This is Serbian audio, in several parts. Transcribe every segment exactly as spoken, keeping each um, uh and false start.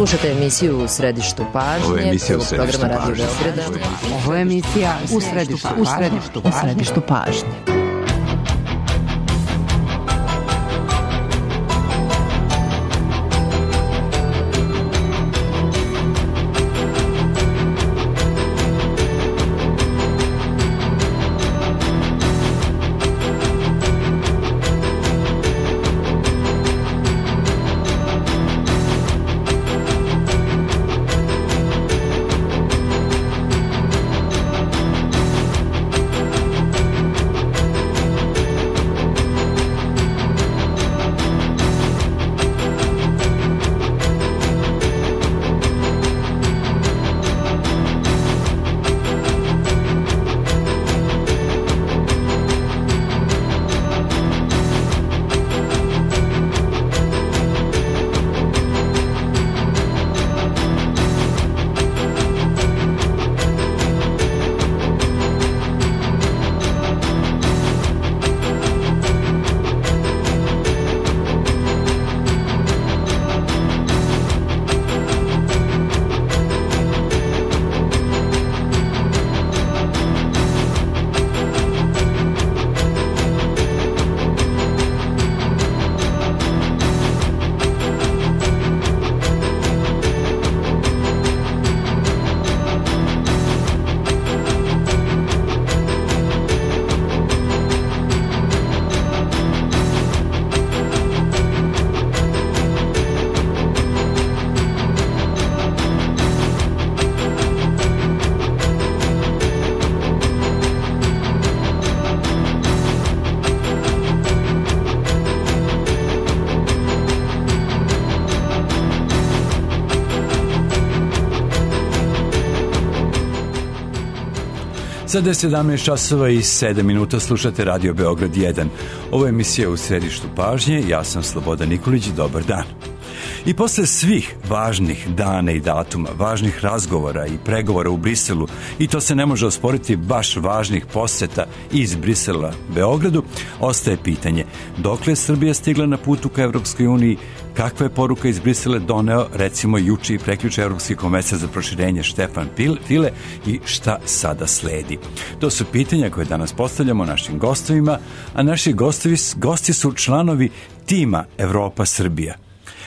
Slušate emisiju U središtu pažnje. Ovo je emisija U središtu pažnje. Radio Beograda. Ovo je emisija U središtu pažnje. U središtu pažnje. U središtu pažnje. Sada je sedamnaest časova i sedam minuta, slušate Radio Beograd jedan. Ovo je emisija U središtu pažnje, ja sam Slobodan Nikolić, dobar dan. I posle svih važnih dana i datuma, važnih razgovora i pregovora u Briselu, i to se ne može osporiti, baš važnih poseta iz Brisela Beogradu, ostaje pitanje dokle je Srbija stigla na putu ka Evropskoj uniji, kakva je poruka iz Brisela doneo recimo juče i prekjuče Evropski komesar za proširenje Štefan File i šta sada sledi. To su pitanja koje danas postavljamo našim gostovima, a naši gostovi, gosti su članovi tima Evropa-Srbija.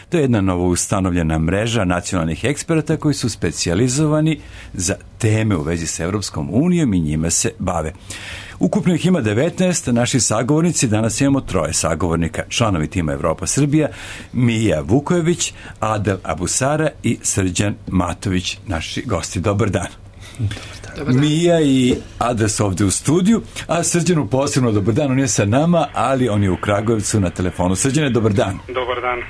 To je jedna novo ustanovljena mreža nacionalnih eksperata koji su specijalizovani za teme u vezi sa Evropskom unijom i njima se bave. Ukupno ih ima devetnaest, naši sagovornici, danas imamo troje sagovornika, članovi tima Evropa-Srbija, Mija Vukojević, Adel Abusara i Srđan Matović, naši gosti. Dobar dan. Dobar dan. Mija i Adel su ovde u studiju, a Srđanu posebno dobar dan, on je sa nama, ali on je u Kragujevcu na telefonu. Srđane, dobar dan. Dobar dan.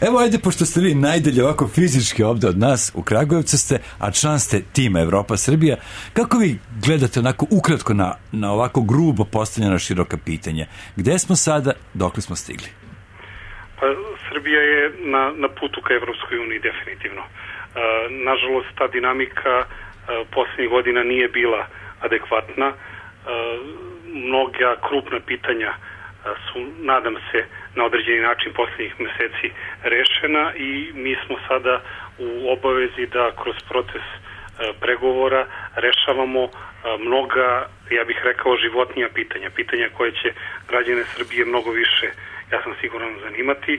Evo, ajde, pošto ste vi najdalje ovako fizički ovde od nas, u Kragujevcu ste, a član ste tima Evropa-Srbija, kako vi gledate onako ukratko na, na ovako grubo postavljena široka pitanja? Gde smo sada, dokle smo stigli? Pa, Srbija je na, na putu ka Evropskoj uniji, definitivno. E, nažalost, ta dinamika e, posljednjih godina nije bila adekvatna. E, mnoga krupna pitanja e, su, nadam se, na određeni način posljednjih meseci rešena i mi smo sada u obavezi da kroz proces e, pregovora rešavamo e, mnoga, ja bih rekao, životnija pitanja. Pitanja koje će građane Srbije mnogo više, ja sam siguran, zanimati,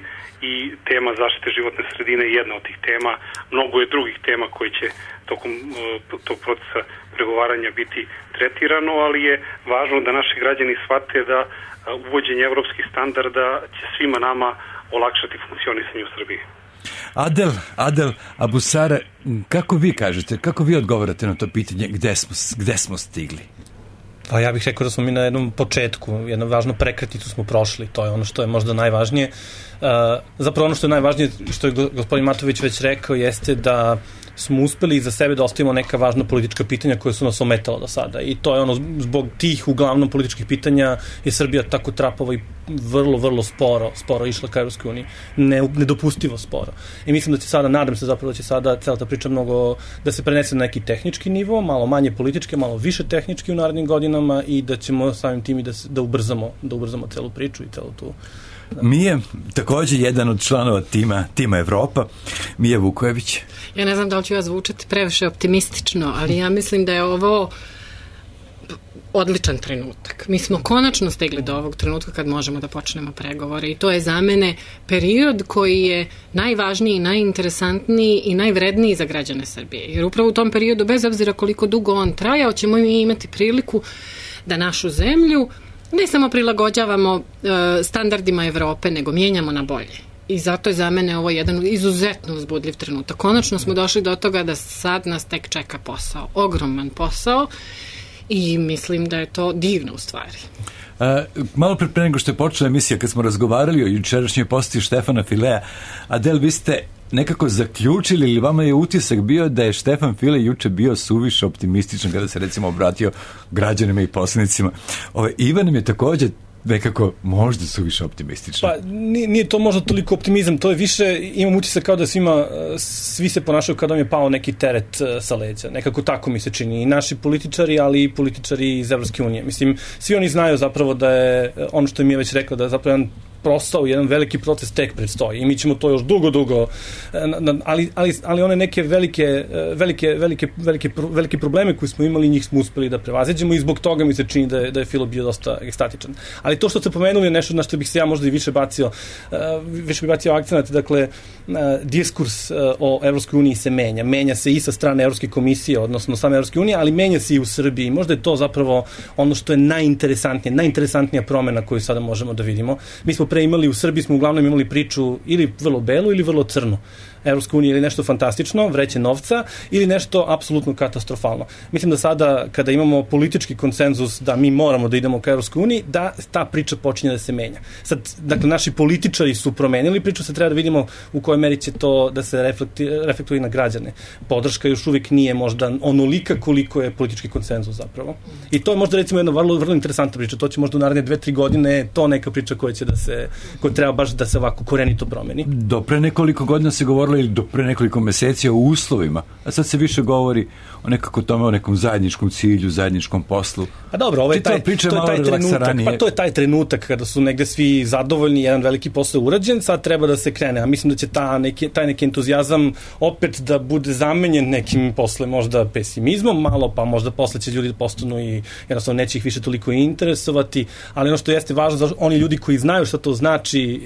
i tema zaštite životne sredine je jedna od tih tema. Mnogo je drugih tema koje će tokom uh, tog procesa pregovaranja biti tretirano, ali je važno da naši građani shvate da uh, uvođenje evropskih standarda će svima nama olakšati funkcionisanje u Srbiji. Adel, Adel Abusara, kako vi kažete, kako vi odgovarate na to pitanje, gde smo, gde smo stigli? Pa ja bih rekao da smo mi na jednom početku, jednu važnu prekretnicu smo prošli, to je ono što je možda najvažnije. Uh, zapravo ono što je najvažnije, što je gospodin Matović već rekao, jeste da smo uspeli iza sebe da ostavimo neka važna politička pitanja koja su nas ometala do sada. I to je ono, zbog tih uglavnom političkih pitanja je Srbija tako trapava i vrlo, vrlo sporo, sporo išla ka Evropskoj uniji. Ne, nedopustivo sporo. I mislim da će sada, nadam se zapravo da će sada cela ta priča mnogo, da se prenese na neki tehnički nivo, malo manje politički, malo više tehnički u narednim godinama i da ćemo samim tim i da, da ubrzamo, da ubrzamo celu priču i celu tu. Da. Mije, također jedan od članova tima, tima Evropa, Mija Vukojević. Ja ne znam da li ću ja zvučati previše optimistično, ali ja mislim da je ovo odličan trenutak. Mi smo konačno stigli do ovog trenutka kad možemo da počnemo pregovore i to je za mene period koji je najvažniji, najinteresantniji i najvredniji za građane Srbije. Jer upravo u tom periodu, bez obzira koliko dugo on trajao, ćemo mi imati priliku da našu zemlju ne samo prilagođavamo e, standardima Evrope, nego mijenjamo na bolje. I zato je za mene ovo jedan izuzetno uzbudljiv trenutak. Konačno smo došli do toga da sad nas tek čeka posao. Ogroman posao i mislim da je to divno u stvari. A, malo pre pre nego što je počela emisija, kad smo razgovarali o jučerašnjoj posjeti Štefana Filea, Adel, vi ste nekako zaključili ili vama je utisak bio da je Štefan File juče bio suviše optimističan kada se recimo obratio građanima i poslanicima. Ove, Ivan nam je također nekako možda suviše optimistično. Pa nije, nije to možda toliko optimizam, to je više, imam utisak kao da svima, svi se ponašaju kao da mi je pao neki teret sa leđa. Nekako tako mi se čini. I naši političari, ali i političari iz Evropske unije. Mislim, svi oni znaju zapravo da je, ono što mi je već rekla, da je zapravo jedan prosao, jedan veliki proces tek predstoji i mi ćemo to još dugo, dugo, ali, ali, ali one neke velike, velike, velike, velike, velike probleme koje smo imali, njih smo uspeli da prevaziđemo i zbog toga mi se čini da je, da je Filo bio dosta ekstatičan. Ali to što ste pomenuli je nešto na što bih se ja možda i više bacio, više bih bacio akcenat, dakle, diskurs o Evropskoj uniji se menja. Menja se i sa strane Evropske komisije, odnosno same Evropske unije, ali menja se i u Srbiji. Možda je to zapravo ono što je najinteresantnije, najinteresantnija promena koju sada možemo da vidimo. Mi smo pre imali u Srbiji, smo uglavnom imali priču ili vrlo belu ili vrlo crnu. Evropska unija ili nešto fantastično, vreće novca, ili nešto apsolutno katastrofalno. Mislim da sada, kada imamo politički konsenzus da mi moramo da idemo ka Evropskoj uniji, da ta priča počinje da se menja. Sad, dakle, naši političari su promenili priču, sad treba da vidimo u kojoj meri će to da se reflektuje na građane. Podrška još uvijek nije možda onolika koliko je politički konsenzus zapravo. I to je možda recimo jedna vrlo, vrlo interesantna priča. To će možda u naredne dve, tri godine to neka priča koja će da se, koja treba baš da se ovako korenito promeni. Do pre nekoliko godina se govorilo ili do pre nekoliko meseci o uslovima, a sad se više govori o nekako tome, o nekom zajedničkom cilju, zajedničkom poslu. A dobro, ovo je taj, to je taj trenutak, pa to je taj trenutak kada su negde svi zadovoljni, jedan veliki posao urađen, sad treba da se krene, a mislim da će ta neki, taj neki entuzijazam opet da bude zamenjen nekim posle možda pesimizmom malo, pa možda posle će ljudi da postanu i jednostavno neće ih više toliko interesovati, ali ono što jeste važno, oni ljudi koji znaju šta to znači,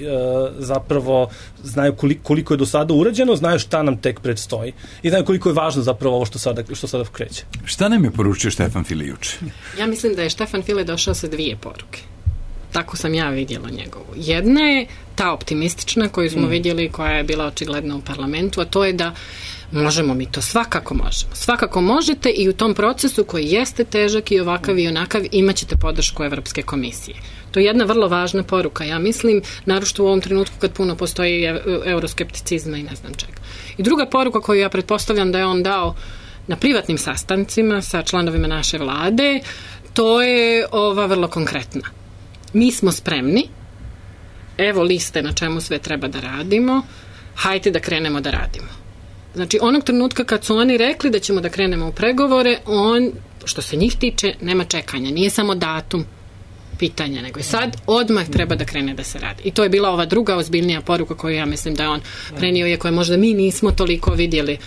zapravo znaju koliko, koliko je do sada urađeno, znaju šta nam tek predstoji i znaju koliko je važno zapravo ovo što sada, što sada kreće. Šta nam je poručio Štefan File juče? Ja mislim da je Štefan File došao sa dvije poruke. Tako sam ja vidjela njegovu. Jedna je ta optimistična koju smo mm. vidjeli, koja je bila očigledna u parlamentu, a to je da možemo mi to, svakako možemo. Svakako možete i u tom procesu koji jeste težak i ovakav i onakav imat ćete podršku Evropske komisije. To je jedna vrlo važna poruka, ja mislim, naročito u ovom trenutku kad puno postoji euroskepticizma i ne znam čega. I druga poruka koju ja pretpostavljam da je on dao na privatnim sastancima sa članovima naše vlade, to je ova vrlo konkretna. Mi smo spremni, evo liste na čemu sve treba da radimo, hajte da krenemo da radimo. Znači, onog trenutka kad su oni rekli da ćemo da krenemo u pregovore, on, što se njih tiče, nema čekanja. Nije samo datum pitanja, nego i sad odmah treba da krene da se radi. I to je bila ova druga ozbiljnija poruka koju ja mislim da je on prenio, je koje možda mi nismo toliko vidjeli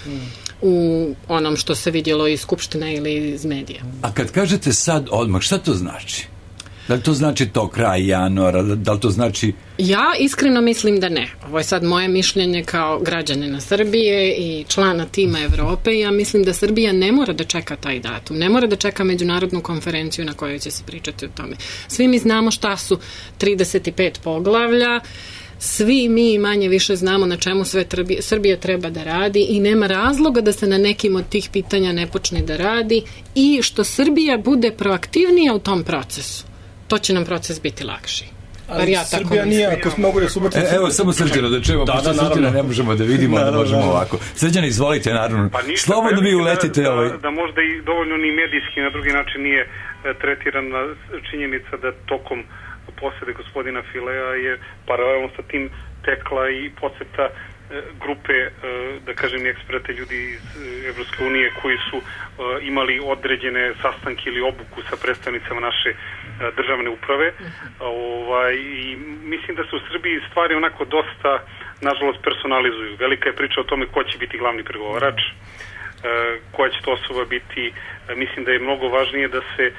u onom što se vidjelo iz Skupštine ili iz medija. A kad kažete sad odmah, šta to znači? Da li to znači to kraj januara? Da li to znači... Ja iskreno mislim da ne. Ovo je sad moje mišljenje kao građanina Srbije i člana tima Evrope. Ja mislim da Srbija ne mora da čeka taj datum. Ne mora da čeka međunarodnu konferenciju na kojoj će se pričati o tome. Svi mi znamo šta su trideset pet poglavlja. Svi mi manje više znamo na čemu sve Srbija treba da radi i nema razloga da se na nekim od tih pitanja ne počne da radi i što Srbija bude proaktivnija u tom procesu. To će nam proces biti lakši. Ali ja Srbija nije, ako smo mogu da subotim... E, evo, samo Srđana, da čujemo, da, pošto da, Srđana ne možemo da vidimo, da možemo naravno. ovako. Srđana, izvolite, naravno. Pa ništa, slobodno vi uletite. Da, ovaj... da, da možda i dovoljno ni medijski, na drugi način nije e, tretirana činjenica da tokom posede gospodina Filea je paralelno sa tim tekla i poseta e, grupe, e, da kažem, eksperata, ljudi iz e, Evropske unije koji su e, imali određene sastanke ili obuku sa predstavnicama naše državne uprave. Ovaj, i mislim da se u Srbiji stvari onako dosta, nažalost, personalizuju. Velika je priča o tome ko će biti glavni pregovarač, koja će to osoba biti. Mislim da je mnogo važnije da se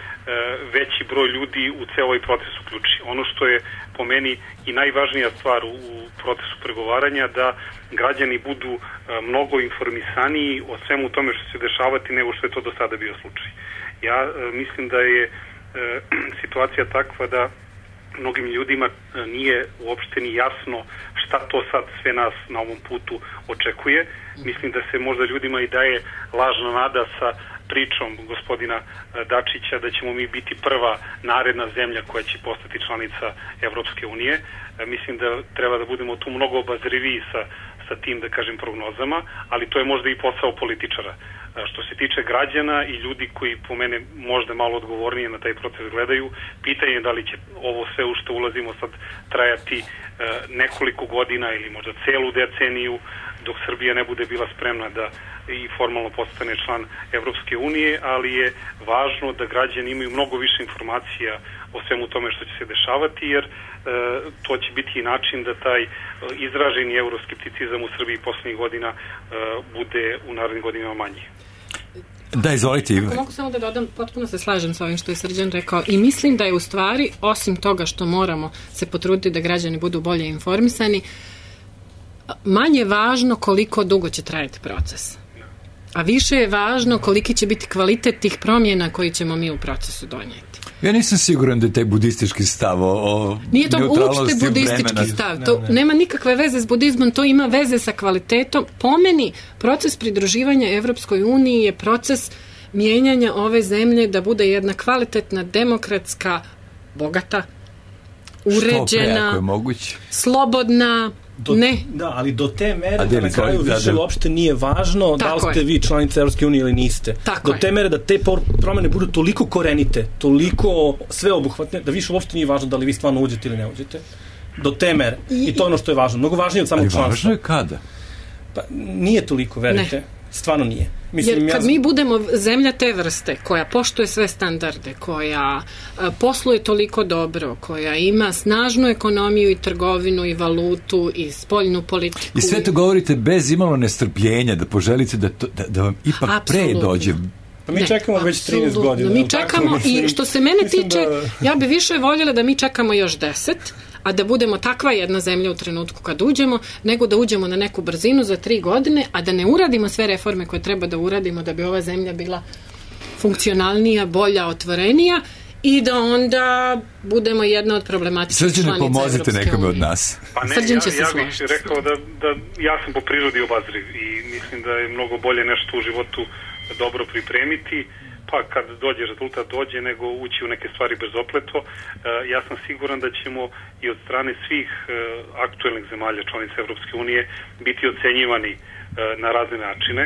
veći broj ljudi u ceo ovaj proces uključi. Ono što je po meni i najvažnija stvar u procesu pregovaranja, da građani budu mnogo informisaniji o svemu tome što će se dešavati nego što je to do sada bio slučaj. Ja mislim da je situacija takva da mnogim ljudima nije uopšte ni jasno šta to sad sve nas na ovom putu očekuje. Mislim da se možda ljudima i daje lažna nada sa pričom gospodina Dačića da ćemo mi biti prva naredna zemlja koja će postati članica Evropske unije. Mislim da treba da budemo tu mnogo obazriviji sa, sa tim, da kažem, prognozama, ali to je možda i posao političara. Što se tiče građana i ljudi koji po mene možda malo odgovornije na taj proces gledaju, pitanje je da li će ovo sve u što ulazimo sad trajati e, nekoliko godina ili možda celu deceniju, dok Srbija ne bude bila spremna da i formalno postane član Evropske unije, ali je važno da građani imaju mnogo više informacija o svemu tome što će se dešavati, jer e, to će biti i način da taj e, izraženi euroskepticizam u Srbiji poslednjih godina e, bude u narednim godinama manji. Da, izvolite. Ako mogu samo da dodam, potpuno se slažem sa ovim što je Srđan rekao i mislim da je u stvari, osim toga što moramo se potruditi da građani budu bolje informisani, manje važno koliko dugo će trajati proces. A više je važno koliki će biti kvalitet tih promjena koji ćemo mi u procesu donijeti. Ja nisam siguran da je taj budistički stav o, o Nije to neutralnosti uopšte budistički vremena. stav. To ne, ne. nema nikakve veze s budizmom, to ima veze sa kvalitetom. Po meni, proces pridruživanja Evropskoj uniji je proces mijenjanja ove zemlje da bude jedna kvalitetna, demokratska, bogata, uređena, Što pre, ako je moguće. Slobodna, Do, ne. Da, ali do te mere A da na kraju da, više da. uopšte nije važno Tako da li ste je. vi članica Evropske unije ili niste. Tako do te je. mere da te promene budu toliko korenite, toliko sveobuhvatne, da više uopšte nije važno da li vi stvarno uđete ili ne uđete. Do te mere. I, I to je ono što je važno. Mnogo važnije od samog Ali članstva. važno je kada? Pa, nije toliko, verite. Ne. Stvarno nije. Mislim, Jer kad ja... mi budemo zemlja te vrste koja poštuje sve standarde, koja a, posluje toliko dobro, koja ima snažnu ekonomiju i trgovinu i valutu i spoljnu politiku. I sve to govorite bez imalo nestrpljenja, da poželite da, to, da, da vam ipak Apsolutno. pre dođe. Pa mi ne, čekamo već trinaest godina. Mi čekamo i što se mene tiče, da... ja bi više voljela da mi čekamo još deset, a da budemo takva jedna zemlja u trenutku kad uđemo, nego da uđemo na neku brzinu za tri godine, a da ne uradimo sve reforme koje treba da uradimo da bi ova zemlja bila funkcionalnija, bolja, otvorenija i da onda budemo jedna od problematičnih članica Srđane, Evropske unije. pomozite nekome od nas. Pa ne, Srđan će ja, se ja bih složiti. rekao da, da ja sam po prirodi obazriv i mislim da je mnogo bolje nešto u životu dobro pripremiti, pa kad dođe rezultat dođe, nego ući u neke stvari bezopleto. E, ja sam siguran da ćemo i od strane svih e, aktuelnih zemalja članica Evropske unije biti ocenjivani e, na razne načine,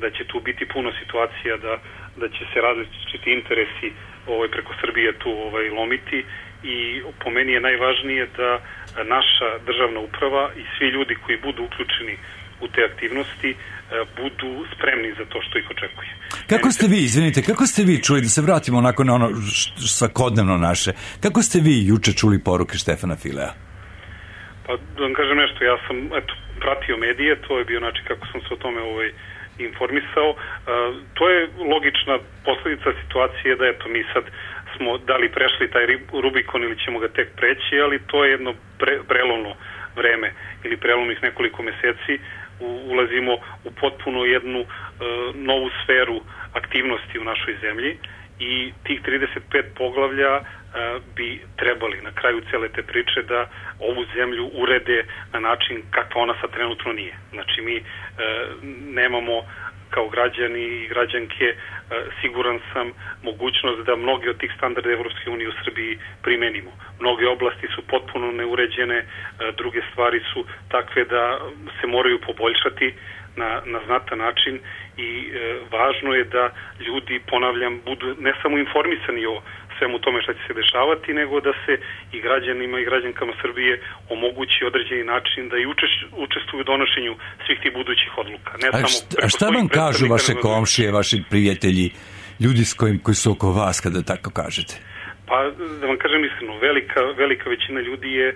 da će tu biti puno situacija da, da će se različiti interesi ovaj, preko Srbije tu ovaj, lomiti i po meni je najvažnije da naša državna uprava i svi ljudi koji budu uključeni u te aktivnosti budu spremni za to što ih očekuje. Kako ste vi, izvinite, kako ste vi čuli, da se vratimo onako na ono svakodnevno naše, kako ste vi juče čuli poruke Štefana Filea? Pa da vam kažem nešto, ja sam eto, pratio medije, to je bio način kako sam se o tome ovaj, informisao. Uh, to je logična posledica situacije da eto mi sad smo da li prešli taj Rubikon ili ćemo ga tek preći, ali to je jedno pre, prelomno vreme ili prelomnih nekoliko meseci. U, ulazimo u potpuno jednu uh, novu sferu aktivnosti u našoj zemlji i tih trideset pet poglavlja bi trebali na kraju cele te priče da ovu zemlju urede na način kakva ona sad trenutno nije. Znači mi e, nemamo kao građani i građanke e, siguran sam mogućnost da mnogi od tih standarda Evropske unije u Srbiji primenimo. Mnoge oblasti su potpuno neuređene, e, druge stvari su takve da se moraju poboljšati na, na znatan način i e, važno je da ljudi, ponavljam, budu ne samo informisani o svemu tome što će se dešavati, nego da se i građanima i građankama Srbije omogući određeni način da i učestvuju u donošenju svih tih budućih odluka. Ne a, samo šta, a šta vam kažu vaše komšije, vaši prijatelji, ljudi s kojim, koji su oko vas, kada tako kažete? Pa, da vam kažem iskreno, velika, velika većina ljudi je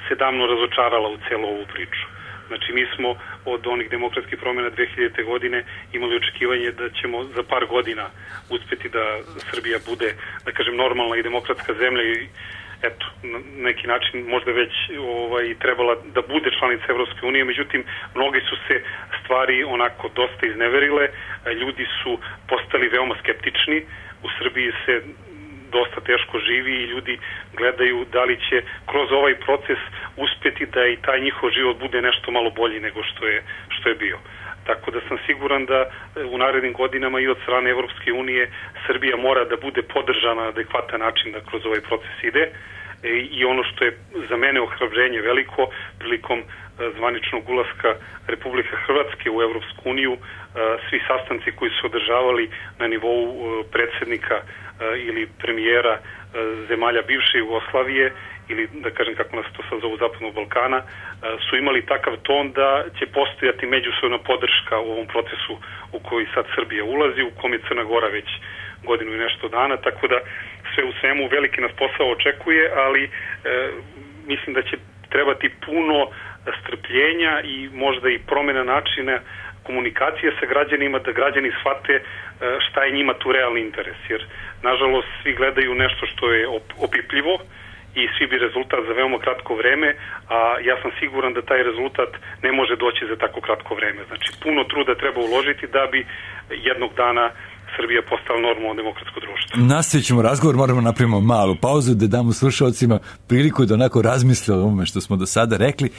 se davno razočarala u celu ovu priču. Znači, mi smo od onih demokratskih promjena dve hiljadite godine imali očekivanje da ćemo za par godina uspeti da Srbija bude, da kažem, normalna i demokratska zemlja i eto, na neki način možda već ovaj, trebala da bude članica Evropske unije, međutim, mnogi su se stvari onako dosta izneverile, ljudi su postali veoma skeptični, u Srbiji se dosta teško živi i ljudi gledaju da li će kroz ovaj proces uspeti da i taj njihov život bude nešto malo bolji nego što je, što je bio. Tako da sam siguran da u narednim godinama i od strane Evropske unije Srbija mora da bude podržana na adekvatan način da kroz ovaj proces ide i ono što je za mene ohrabrenje veliko prilikom zvaničnog ulaska Republike Hrvatske u Evropsku uniju, svi sastanci koji su održavali na nivou predsednika ili premijera zemalja bivše Jugoslavije ili da kažem kako nas to sad zovu Zapadnog Balkana, su imali takav ton da će postojati međusobna podrška u ovom procesu u koji sad Srbija ulazi, u kom je Crna Gora već godinu i nešto dana, tako da sve u svemu veliki nas posao očekuje, ali e, mislim da će trebati puno strpljenja i možda i promjena načina komunikacije sa građanima, da građani shvate šta je njima tu realni interes, jer nažalost svi gledaju nešto što je opipljivo i svi bi rezultat za veoma kratko vreme, a ja sam siguran da taj rezultat ne može doći za tako kratko vreme. Znači, puno truda treba uložiti da bi jednog dana Srbija postala normalno demokratsko društvo. Nastavit ćemo razgovor, moramo napravimo malu pauzu da damo slušalcima priliku da onako razmisle o ovome što smo do sada rekli.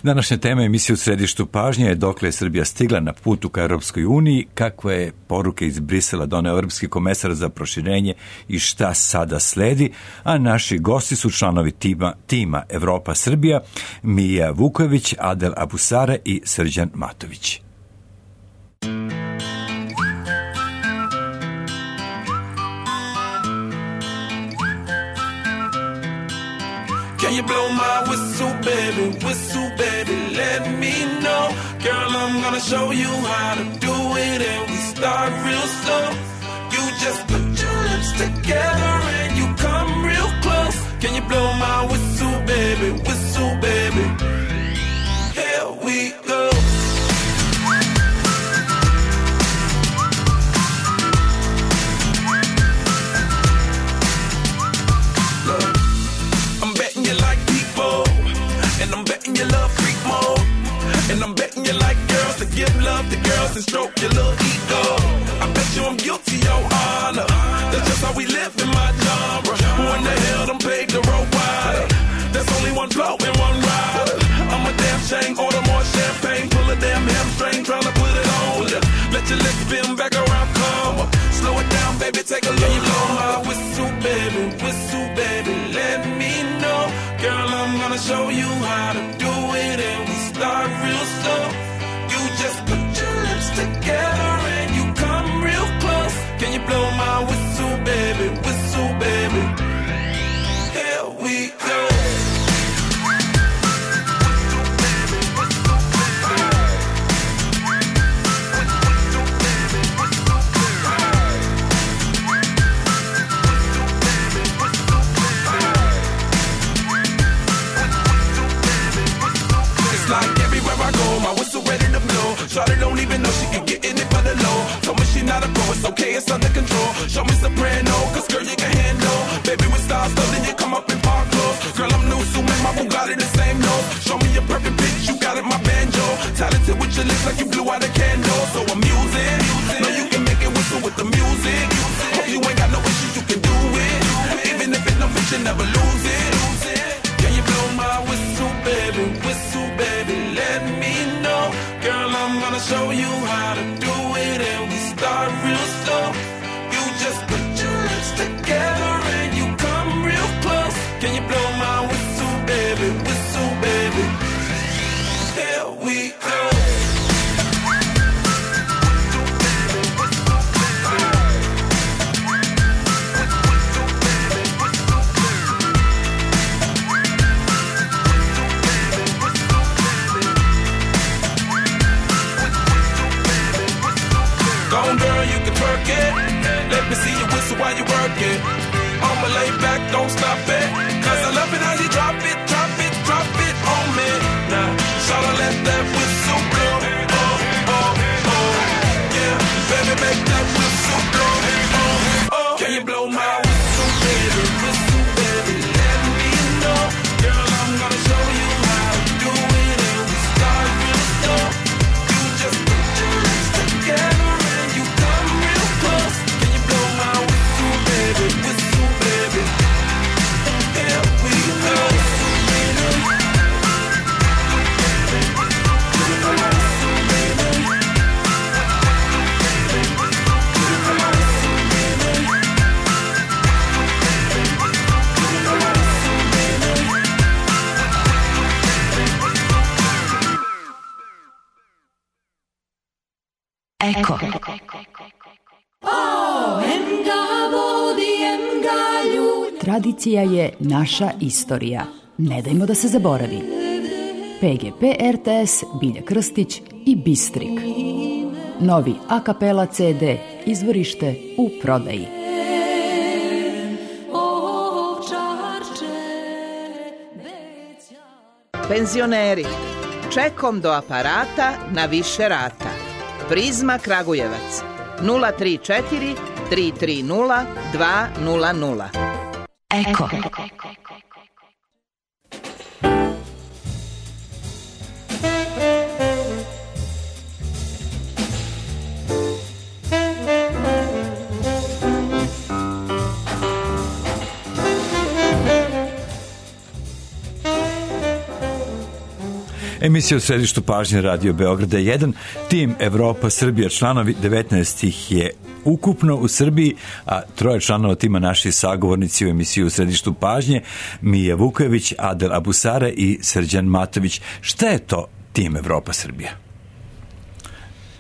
Današnja tema emisije u središtu pažnje je dokle je Srbija stigla na putu ka Europskoj uniji, kakve je poruke iz Brisela doneo Europski komesar za proširenje i šta sada sledi, a naši gosti su članovi tima, tima Evropa Srbija, Mija Vukojević, Adel Abusare i Srđan Matović. Can you blow my whistle, baby, whistle, baby, let me know. Girl, I'm gonna show you how to do it and we start real slow. You just put your lips together and you come real close. Can you blow my whistle, baby, whistle, baby? Here we go. You love freak mode, and I'm betting you like girls to give love to girls and stroke your little ego. I bet you I'm guilty, your honor. That's just how we live in my genre. Who in the hell done paved the road wider? There's only one blow and one rider. I'm a damn shame, order more champagne, pull a damn hamstring, tryna put it on ya. Let your lips spin back around, come up. Slow it down, baby, take a look. You blow my whistle, baby, whistle, baby, let me know. Girl, I'm gonna show you how to do it and we start real slow. You just put your lips together and you come real close. Can you blow my whistle, baby, whistle, baby? Here we go. Shawty don't even know she can get in it for the low. Told me she not a pro, it's okay, it's under control. Show me soprano, cause girl you can handle. Baby with stars, so then you come up in park clothes. Girl I'm new, so make my Bugatti the same nose. Show me your perfect pitch, you got it, my banjo. Talented with your lips like you blew out a candle. So I'm using, know you can make it whistle with the music. Hope you ain't got no issue show you how to do it, and we start real slow. You just put your lips together and you come real close. Can you blow my whistle, baby, whistle, baby? Here we go. Let me see you whistle while you work it. I'ma lay back, don't stop it. Cause I love it how you drop it, drop it, drop it on me. Now, shawty, let that whistle blow. Oh, oh, oh. Yeah, baby, make that whistle blow. Oh, oh. Can you blow my whistle, baby? Whistle, baby, let me know. Girl, I'm gonna show you how to do it, and we start real slow. You just put your lips together. Eko. Tradicija je naša istorija. Ne dajmo da se zaboravi. P G P R T S, Bilja Krstić i Bistrik. Novi a kapela C D, izvorište u prodaji. Penzioneri, čekom do aparata na više rata. Prizma Kragujevac, nula tri četiri tri tri nula dva nula nula. Eko. Emisija u središtu pažnje Radio Beograda jedan, tim Evropa Srbija, članovi devetnaest ih je ukupno u Srbiji, a troje članova tima naši sagovornici u emisiji u središtu pažnje, Mija Vukojević, Adel Abusare i Srđan Matović. Šta je to tim Evropa Srbija?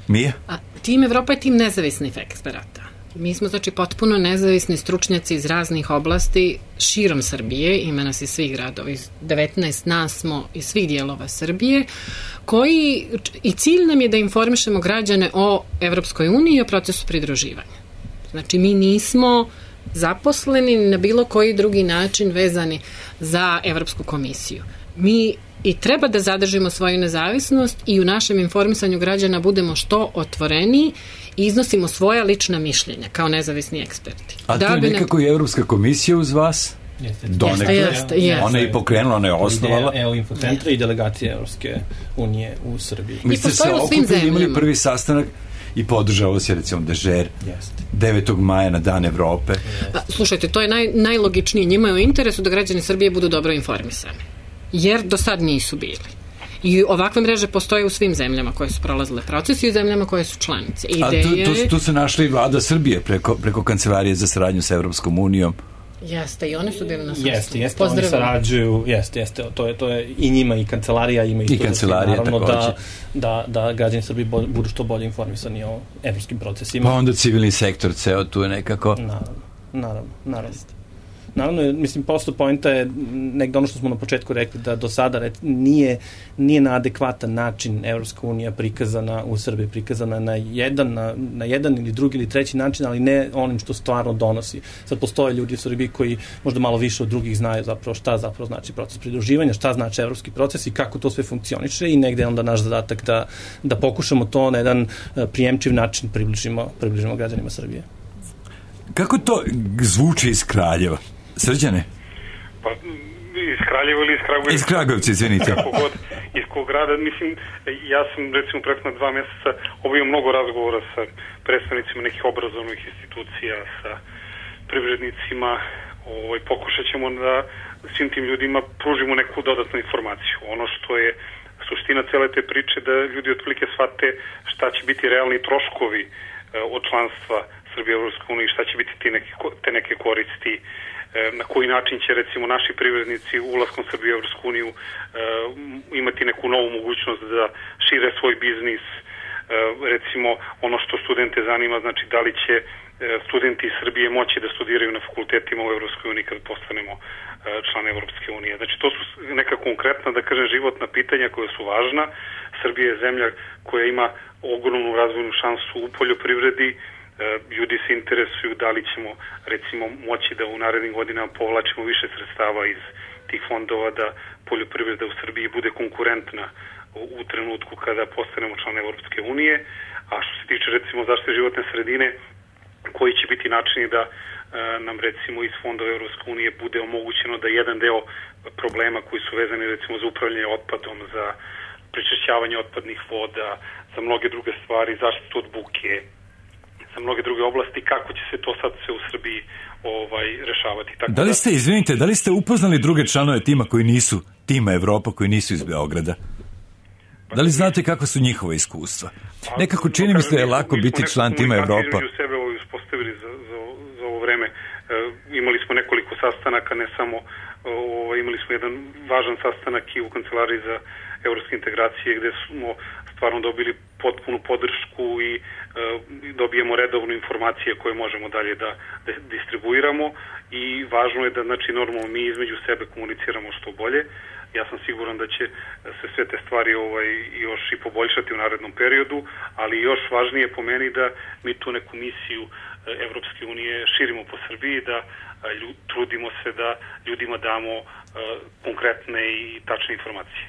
Mija? A, tim Evropa je tim nezavisnih eksperata. Mi smo, znači, potpuno nezavisni stručnjaci iz raznih oblasti širom Srbije, ima nas iz svih gradova, iz devetnaest nas smo iz svih dijelova Srbije, koji, i cilj nam je da informišemo građane o Evropskoj uniji i o procesu pridruživanja. Znači, mi nismo zaposleni na bilo koji drugi način vezani za Evropsku komisiju. Mi i treba da zadržimo svoju nezavisnost i u našem informisanju građana budemo što otvoreniji i iznosimo svoja lična mišljenja kao nezavisni eksperti. A da to je nekako i Evropska komisija uz vas? Donekle. Jeste, jeste. Ona je pokrenula, ona je osnovala. Evo Infocentra i delegacije Evropske unije u Srbiji. Vi ste se okupili, imali prvi sastanak i podržao se recimo Dežer devetog maja na Dan Evrope. Pa, slušajte, to je naj, najlogičnije. Njima je u interesu da građani Srbije budu dobro informisani. Jer do sad nisu bili. I ovakve mreže postoje u svim zemljama koje su prolazile proces i u zemljama koje su članice. Ideje... A tu, tu, tu se našla i vlada Srbije preko, preko Kancelarije za saradnju sa Evropskom unijom. Jeste, i oni su bili na sastanku. Jeste, jeste, oni sarađuju, jeste, jeste, to je, to je i njima i kancelarija, ima i, I kancelarija, naravno, takođe. Da, da, da građani Srbije budu što bolje informisani o evropskim procesima. Pa onda civilni sektor, ceo tu je nekako... Naravno, naravno, naravno. Naravno, mislim, prosto poenta je nekdo ono što smo na početku rekli, da do sada nije, nije na adekvatan način Evropska unija prikazana u Srbiji, prikazana na jedan, na, na jedan ili drugi ili treći način, ali ne onim što stvarno donosi. Sad postoje ljudi u Srbiji koji možda malo više od drugih znaju zapravo šta zapravo znači proces pridruživanja, šta znači evropski proces i kako to sve funkcioniše i negde je onda naš zadatak da, da pokušamo to na jedan prijemčiv način približimo, približimo građanima Srbije. Kako to zvuči iz Kraljeva? Srđane? Pa, iz Kraljeva ili iz Kragujevca? Iz Kragujevca, izvinite. Kako god, iz kog grada, mislim, ja sam recimo prethodna dva mjeseca obavio mnogo razgovora sa predstavnicima nekih obrazovnih institucija, sa privrednicima, ovaj, pokušat ćemo da svim tim ljudima pružimo neku dodatnu informaciju. Ono što je suština suština cele te priče da ljudi otprilike shvate šta će biti realni troškovi od članstva Srbije u Evropskoj uniji, šta će biti te neke, te neke koristi, na koji način će recimo naši privrednici ulaskom Srbije u Evropsku uniju imati neku novu mogućnost da šire svoj biznis. Recimo ono što studente zanima, znači da li će studenti iz Srbije moći da studiraju na fakultetima u Evropskoj uniji kad postanemo član Evropske unije. Znači to su neka konkretna, da kažem, životna pitanja koja su važna. Srbija je zemlja koja ima ogromnu razvojnu šansu u poljoprivredi. Ljudi se interesuju da li ćemo recimo moći da u narednim godinama povlačimo više sredstava iz tih fondova, da poljoprivreda u Srbiji bude konkurentna u trenutku kada postanemo član Evropske unije. A što se tiče recimo zaštite životne sredine, koji će biti načini da e, nam recimo iz fondova Evropske unije bude omogućeno da jedan deo problema koji su vezani recimo za upravljanje otpadom, za prečišćavanje otpadnih voda, za mnoge druge stvari, zaštitu od buke, za mnoge druge oblasti, kako će se to sad sve u Srbiji ovaj, rešavati. Tako da li ste, izvinite, da li ste upoznali druge članove tima koji nisu, tima Evropa, koji nisu iz Beograda? Da li znate kako su njihova iskustva? Nekako čini mi se da je lako biti član tima Evropa. Mi smo sebe ovo uspostavili za, za, za ovo vreme. E, imali smo nekoliko sastanaka, ne samo, o, imali smo jedan važan sastanak i u Kancelariji za evropske integracije gde smo stvarno dobili potpunu podršku i e, dobijemo redovno informacije koje možemo dalje da, da distribuiramo i važno je da, znači, normalno mi između sebe komuniciramo što bolje. Ja sam siguran da će se sve te stvari ovaj, još i poboljšati u narednom periodu, ali još važnije po meni da mi tu neku misiju Evropske unije širimo po Srbiji, da ljud, trudimo se da ljudima damo uh, konkretne i tačne informacije.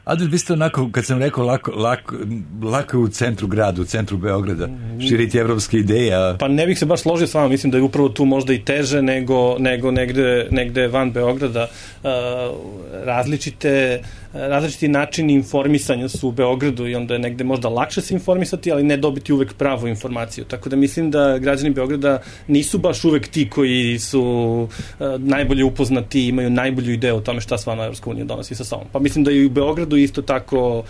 Adel, vi ste onako, kad sam rekao, lako, lako, lako u centru grada, u centru Beograda, širiti evropske ideje. A... Pa ne bih se baš složio s vama, mislim da je upravo tu možda i teže nego, nego negde, negde van Beograda. Uh, različite, različiti načini informisanja su u Beogradu i onda je negde možda lakše se informisati, ali ne dobiti uvek pravu informaciju. Tako da mislim da građani Beograda nisu baš uvek ti koji su uh, najbolje upoznati i imaju najbolju ideju o tome šta stvarno Evropska unija donosi sa sobom. Pa mislim da i u Beogradu isto tako uh,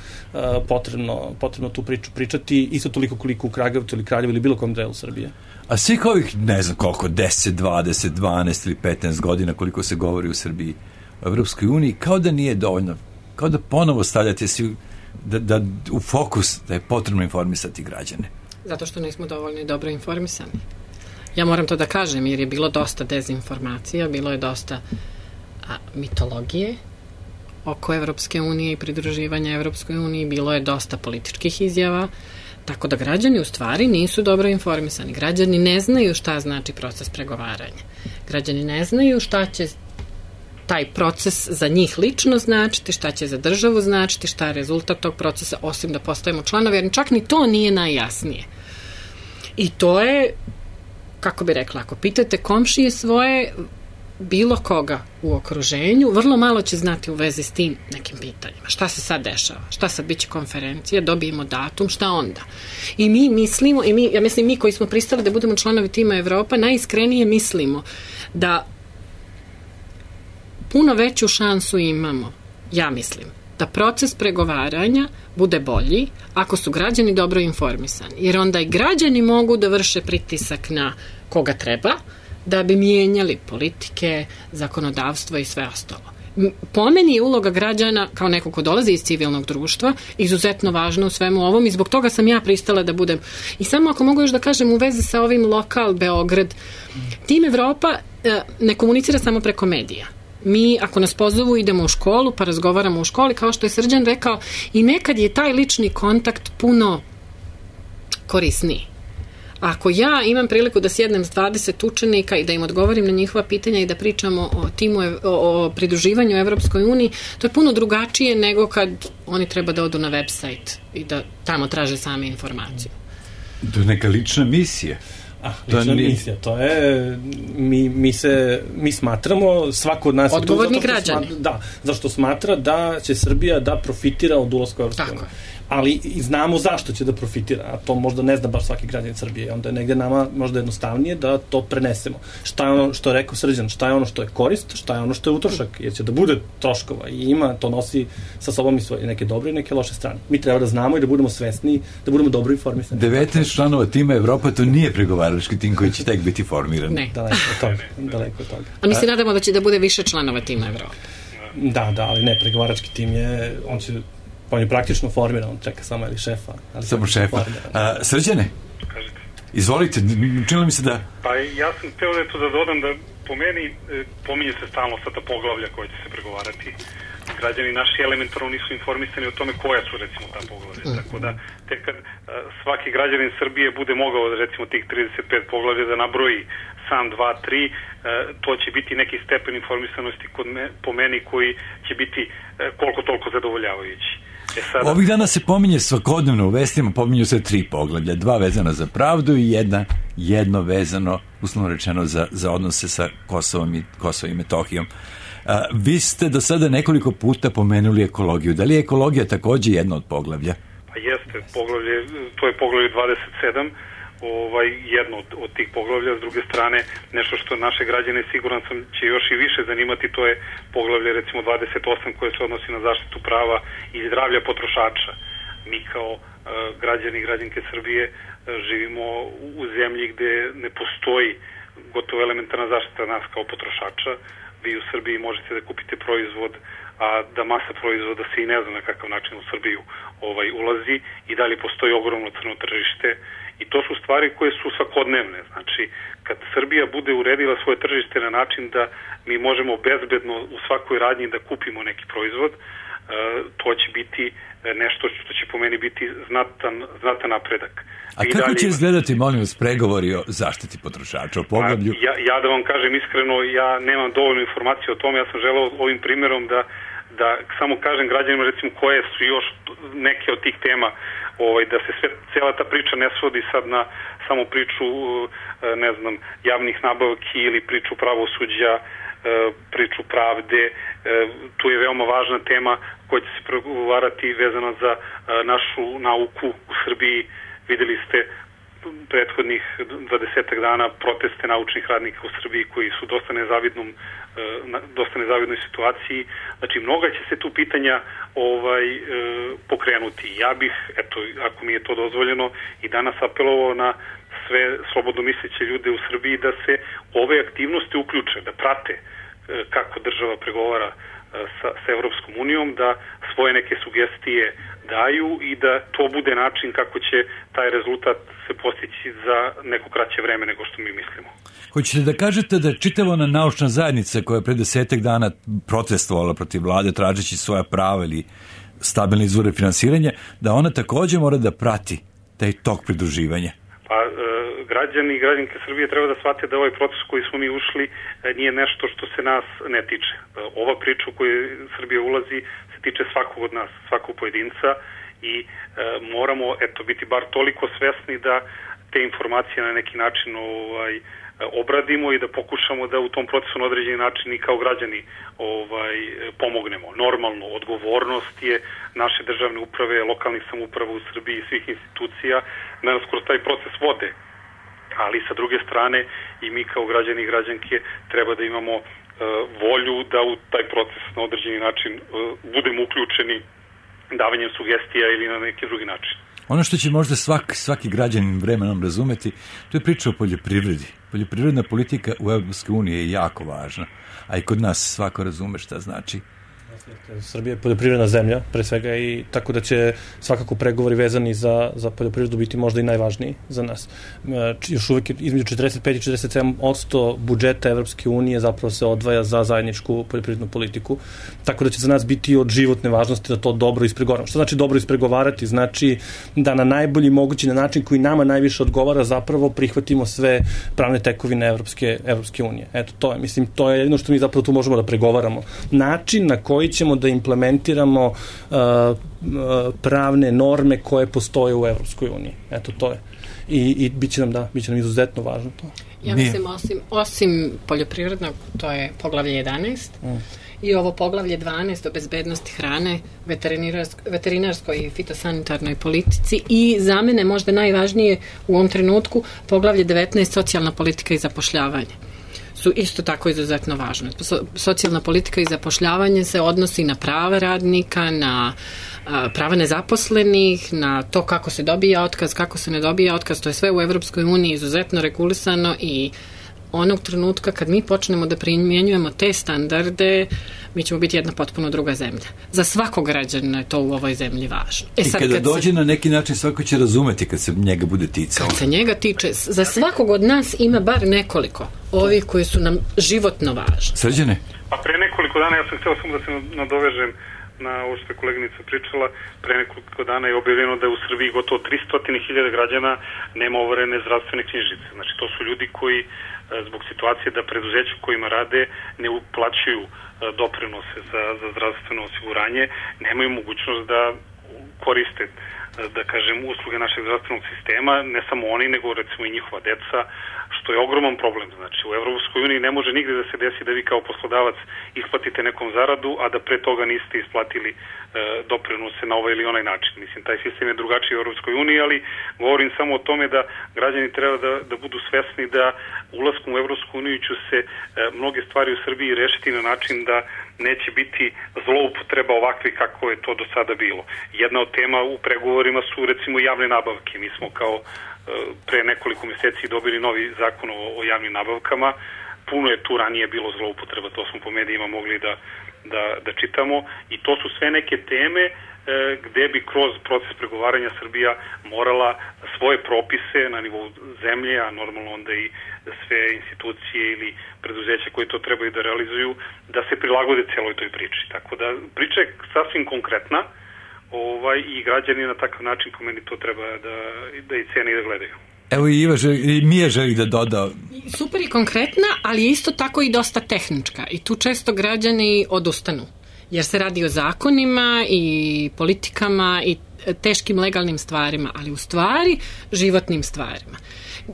potrebno, potrebno tu priču pričati, isto toliko koliko u Kragujevcu ili Kraljevu ili bilo kom delu Srbije. A svih ovih, ne znam koliko, deset, dvadeset, dvanaest ili petnaest godina koliko se govori u Srbiji u Evropskoj uniji, kao da nije dovoljno, kao da ponovo stavljate si da, da, u fokus da je potrebno informisati građane. Zato što nismo dovoljno i dobro informisani. Ja moram to da kažem, jer je bilo dosta dezinformacija, bilo je dosta a, mitologije oko Evropske unije i pridruživanja Evropskoj uniji, bilo je dosta političkih izjava, tako da građani u stvari nisu dobro informisani. Građani ne znaju šta znači proces pregovaranja. Građani ne znaju šta će taj proces za njih lično značiti, šta će za državu značiti, šta je rezultat tog procesa, osim da postajemo članovi, jer čak ni to nije najjasnije. I to je, kako bi rekla, ako pitate komšije svoje, bilo koga u okruženju, vrlo malo će znati u vezi s tim nekim pitanjima. Šta se sad dešava? Šta sad biće konferencija? Dobijemo datum? Šta onda? I mi mislimo, i mi, ja mislim mi koji smo pristali da budemo članovi tima Evropa, najiskrenije mislimo da puno veću šansu imamo, ja mislim, da proces pregovaranja bude bolji ako su građani dobro informisani. Jer onda i građani mogu da vrše pritisak na koga treba, da bi mijenjali politike, zakonodavstvo i sve ostalo. Po meni je uloga građana, kao neko ko dolazi iz civilnog društva, izuzetno važna u svemu ovom i zbog toga sam ja pristala da budem. I samo ako mogu još da kažem u vezi sa ovim lokal Beograd, tim Evropa ne komunicira samo preko medija. Mi, ako nas pozovu, idemo u školu, pa razgovaramo u školi, kao što je Srđan rekao, i nekad je taj lični kontakt puno korisniji. Ako ja imam priliku da sjednem s dvadeset učenika i da im odgovorim na njihova pitanja i da pričamo o timu, o, o pridruživanju Evropskoj uniji, to je puno drugačije nego kad oni treba da odu na website i da tamo traže sami informaciju. To je neka lična misija. Ah, lična nije... misija, to je mi, mi se mi smatramo, svako od nas odgovorni građani. Smatra, da, zašto smatra da će Srbija da profitira od ulaska u Evropsku uniju. ali i znamo zašto će da profitira, a to možda ne zna baš svaki građanin Srbije. Onda je negde nama možda jednostavnije da to prenesemo. Šta je ono što je rekao Srđan, šta je ono što je korist, šta je ono što je utrošak, jer će da bude troškova i ima, to nosi sa sobom i svoje neke dobre i neke loše strane. Mi treba da znamo i da budemo svesni, da budemo dobro informisani. devetnaest članova tima Evropa, to nije pregovarački tim koji će tek biti formiran. Ne. Daleko od toga. Daleko od toga. A mi se nadamo da će da bude više članova tima Evropa. Da, da, ali ne, pregovarački tim je, on će, on je praktično formiran, on čeka samo ili šefa. Ali samo šefa. A, Srđane? Kažete. Izvolite, činilo mi se da... Pa ja sam hteo da to da dodam da po meni e, pominje se stalno sada poglavlja koje će se pregovarati. Građani naši elementarno nisu informisani o tome koja su recimo ta poglavlja. Mm. Tako da tek kad a, svaki građanin Srbije bude mogao da recimo tih trideset pet poglavlja da nabroji sam dva, tri, a, to će biti neki stepen informisanosti kod me, po meni koji će biti a, koliko toliko zadovoljavajući. E sada... Ovih dana se pominje svakodnevno u vestima, pominju se tri poglavlja, dva vezana za pravdu i jedna, jedno vezano, uslovno rečeno, za, za odnose sa Kosovom i, Kosovom i Metohijom. A, vi ste do sada nekoliko puta pomenuli ekologiju. Da li je ekologija takođe jedno od poglavlja? Pa jeste, poglavlje, to je poglavlje dvadeset sedam, ovaj, jedno od, od tih poglavlja. S druge strane, nešto što naše građane, siguran sam, će još i više zanimati, to je poglavlje recimo dvadeset osam koje se odnosi na zaštitu prava i zdravlja potrošača. Mi kao uh, građani i građanke Srbije uh, živimo u zemlji gde ne postoji gotovo elementarna zaštita nas kao potrošača. Vi u Srbiji možete da kupite proizvod, a da masa proizvoda se i ne zna na kakav način u Srbiju ovaj, ulazi i dalje postoji ogromno crno tržište i to su stvari koje su svakodnevne. Znači, kad Srbija bude uredila svoje tržište na način da mi možemo bezbedno u svakoj radnji da kupimo neki proizvod, to će biti nešto što će po meni biti znatan, znatan napredak. A I kako dalje... će izgledati, molim vas, pregovori o zaštiti potrošača, o poglavlju? Ja, ja da vam kažem iskreno, ja nemam dovoljno informacije o tome, ja sam želeo ovim primjerom da, da samo kažem građanima recimo koje su još neke od tih tema, ovaj, da se sve, cijela ta priča ne svodi sad na samo priču, ne znam, javnih nabavki ili priču pravosuđa, priču pravde. Tu je veoma važna tema koja će se pregovarati vezano za našu nauku u Srbiji. Videli ste prethodnih dvadesetak dana proteste naučnih radnika u Srbiji koji su dosta nezavidnom dosta nezavidnoj situaciji. Znači, mnoga će se tu pitanja ovaj pokrenuti. Ja bih, eto, ako mi je to dozvoljeno, i danas apelovao na sve slobodno misleće ljude u Srbiji da se ove aktivnosti uključe, da prate kako država pregovara sa, sa Evropskom unijom, da svoje neke sugestije daju i da to bude način kako će taj rezultat se postići za neko kraće vreme nego što mi mislimo. Hoćete da kažete da čitava ona naučna zajednica koja je pre desetak dana protestovala protiv vlade tražeći svoja prava ili stabilne izvore finansiranja, da ona takođe mora da prati taj tok pridruživanja? Pa e, građani i građanke Srbije treba da shvate da ovaj proces koji smo mi ušli e, nije nešto što se nas ne tiče. E, ova priča u koju Srbija ulazi se tiče svakog od nas, svakog pojedinca i e, moramo eto biti bar toliko svesni da te informacije na neki način ovaj obradimo i da pokušamo da u tom procesu na određeni način i kao građani ovaj pomognemo. Normalno, odgovornost je naše državne uprave, lokalnih samouprava u Srbiji i svih institucija da nas kroz taj proces vode. Ali sa druge strane i mi kao građani i građanke treba da imamo uh, volju da u taj proces na određeni način uh, budemo uključeni davanjem sugestija ili na neki drugi način. Ono što će možda svak, svaki građanin vremenom razumeti, to je priča o poljoprivredi. Poljoprivredna politika u Evropskoj uniji je jako važna, a i kod nas svako razume šta znači. Srbija je poljoprivredna zemlja, pre svega, i tako da će svakako pregovori vezani za, za poljoprivredu biti možda i najvažniji za nas. Još uvijek između četrdeset pet i četrdeset sedam posto budžeta Evropske unije zapravo se odvaja za zajedničku poljoprivrednu politiku, tako da će za nas biti od životne važnosti da to dobro ispregovaramo. Što znači dobro ispregovarati? Znači da na najbolji mogući na način koji nama najviše odgovara zapravo prihvatimo sve pravne tekovine Evropske, Evropske unije. Eto, to je, mislim, to je jedno što mi zapravo tu možemo da pregovaramo. Način na koji ćemo da implementiramo uh, uh, pravne norme koje postoje u Evropskoj uniji. Eto, to je. I, i bit će nam, da, bit će nam izuzetno važno to. Ja mislim, osim, osim poljoprivrednog, to je poglavlje jedanaest, mm. i ovo poglavlje dvanaest o bezbednosti hrane, veterinarskoj i fitosanitarnoj politici i za mene možda najvažnije u ovom trenutku poglavlje devetnaest socijalna politika i zapošljavanje su isto tako izuzetno važne. So, socijalna politika i zapošljavanje se odnosi na prava radnika, na a, prava nezaposlenih, na to kako se dobija otkaz, kako se ne dobija otkaz, to je sve u Evropskoj uniji izuzetno regulisano i onog trenutka kad mi počnemo da primjenjujemo te standarde, mi ćemo biti jedna potpuno druga zemlja. Za svakog građana je to u ovoj zemlji važno. E, I sad, kada kad dođe se, na neki način svako će razumeti kad se njega bude ticao. Kad se njega tiče, za svakog od nas ima bar nekoliko ovih koji su nam životno važni. Srđane? Pa pre nekoliko dana, ja sam htio samo da se nadovežem na ovo što je koleginica pričala, pre nekoliko dana je objavljeno da je u Srbiji gotovo tristo hiljada građana nema overene zdravstvene knjižice. Znači, to su ljudi koji zbog situacije da preduzeća kojima rade ne uplaćuju doprinose za, za zdravstveno osiguranje, nemaju mogućnost da koriste, da kažem, usluge našeg zdravstvenog sistema, ne samo oni, nego recimo i njihova deca, što je ogroman problem. Znači, u Evropskoj uniji ne može nigde da se desi da vi kao poslodavac isplatite nekom zaradu, a da pre toga niste isplatili e, doprinose na ovaj ili onaj način. Mislim, taj sistem je drugačiji u Evropskoj uniji, ali govorim samo o tome da građani treba da, da budu svesni da ulaskom u Evropsku uniju će se e, mnoge stvari u Srbiji rešiti na način da neće biti zloupotreba ovakve kako je to do sada bilo. Jedna od tema u pregovorima su recimo javne nabavke. Mi smo kao pre nekoliko mjeseci dobili novi zakon o, o javnim nabavkama. Puno je tu ranije bilo zloupotreba, to smo po medijima mogli da, da, da čitamo i to su sve neke teme e, gde bi kroz proces pregovaranja Srbija morala svoje propise na nivou zemlje, a normalno onda i sve institucije ili preduzeća koje to trebaju da realizuju, da se prilagode celoj toj priči. Tako da priča je sasvim konkretna, ovaj, i građani na takav način ko meni to treba da, da i cene i da gledaju. Evo i Iva želi, i Mija želi da doda. Super i konkretna, ali je isto tako i dosta tehnička i tu često građani odustanu. Jer se radi o zakonima i politikama i teškim legalnim stvarima, ali u stvari životnim stvarima.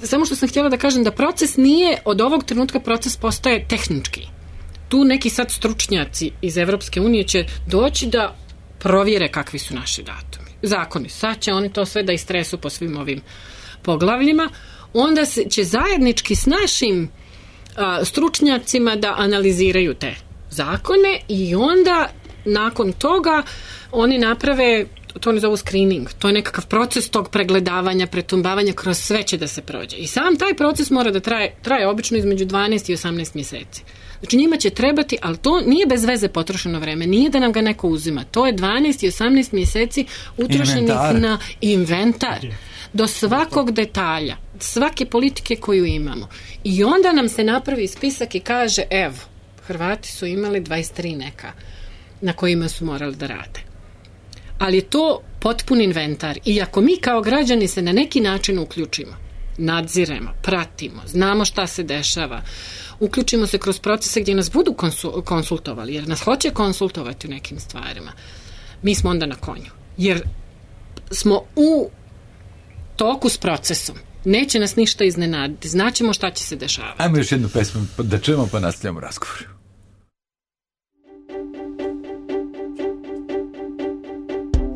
Samo što sam htjela da kažem da proces nije, od ovog trenutka proces postaje tehnički. Tu neki sad stručnjaci iz Evropske unije će doći da provjere kakvi su naši datumi. Zakoni. Sad će oni to sve da istresu po svim ovim poglavljima. Onda se, će zajednički s našim a, stručnjacima da analiziraju te zakone i onda nakon toga oni naprave, to oni zovu screening, to je nekakav proces tog pregledavanja, pretumbavanja, kroz sve će da se prođe. I sam taj proces mora da traje, traje obično između dvanaest i osamnaest mjeseci. Znači njima će trebati, ali to nije bez veze potrošeno vreme, nije da nam ga neko uzima. To je dvanaest i osamnaest mjeseci utrošenih inventar. Na inventar. Do svakog detalja, svake politike koju imamo. I onda nam se napravi spisak i kaže, evo, Hrvati su imali dvadeset tri neka na kojima su morali da rade. Ali je to potpun inventar. I ako mi kao građani se na neki način uključimo, nadziremo, pratimo, znamo šta se dešava, uključimo se kroz procese gdje nas budu konsultovali, jer nas hoće konsultovati u nekim stvarima, mi smo onda na konju. Jer smo u toku s procesom. Neće nas ništa iznenaditi. Znaćemo šta će se dešavati. Ajmo još jednu pesmu da čujemo pa nastavljamo razgovor.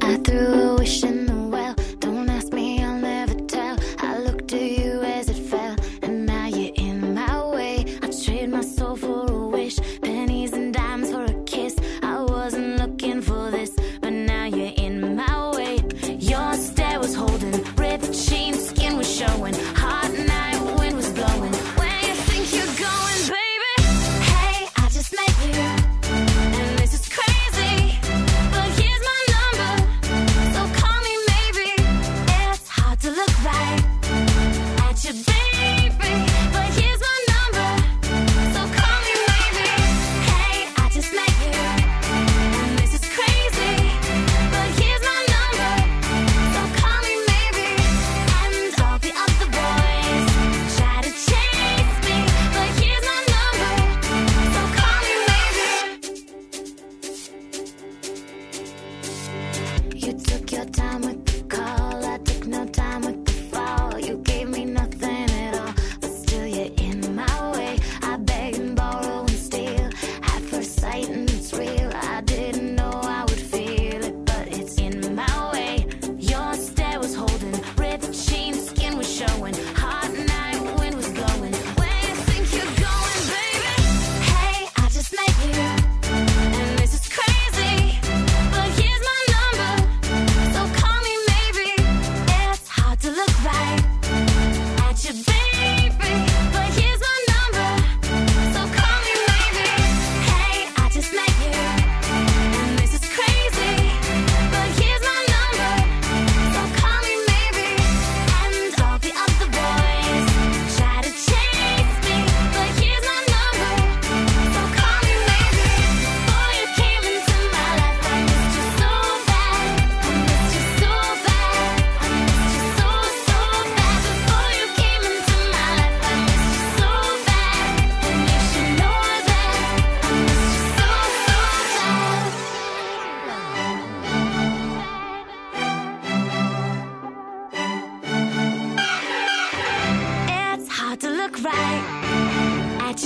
I threw a wish in the well. Don't ask me, I'll never tell. I looked to you as it fell, and now you're in my way. I trade my soul for a wish, pennies and dimes for a kiss. I wasn't looking for this, but now you're in my way. Your stare was holding, ripped jeans, skin was showing. Hot night, wind was blowing. Where you think you're going, baby? Hey, I just met you, and this is crazy. But here's my number, so call me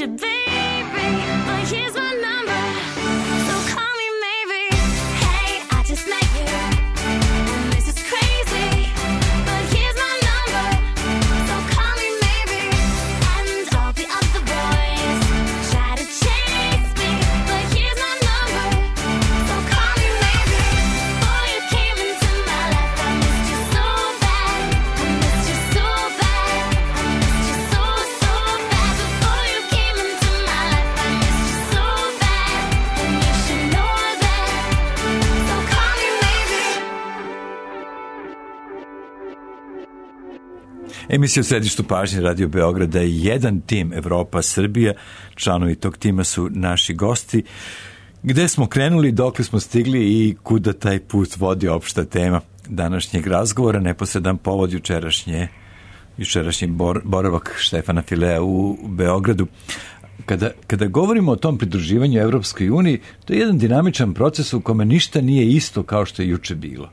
you, baby, but here's my number, so call me maybe. Hey, I just met you, and this is crazy, but here's my number, so call me maybe. And all the other boys try to chase me, but here's my number, so call me maybe. Before you came into my life, I missed you so bad, I missed you so bad, I missed you so, so bad. Before you came into my life, I missed you so bad, and you should know that, so call me maybe. Emisija u središtu pažnje Radio Beograda je jedan tim Evropa Srbija. Članovi tog tima su naši gosti. Gde smo krenuli, dokle smo stigli i kuda taj put vodi opšta tema današnjeg razgovora, neposredan povod jučerašnje, jučerašnji bor, boravak Štefana Filea u Beogradu. Kada, kada govorimo o tom pridruživanju Evropskoj uniji, to je jedan dinamičan proces u kome ništa nije isto kao što je juče bilo.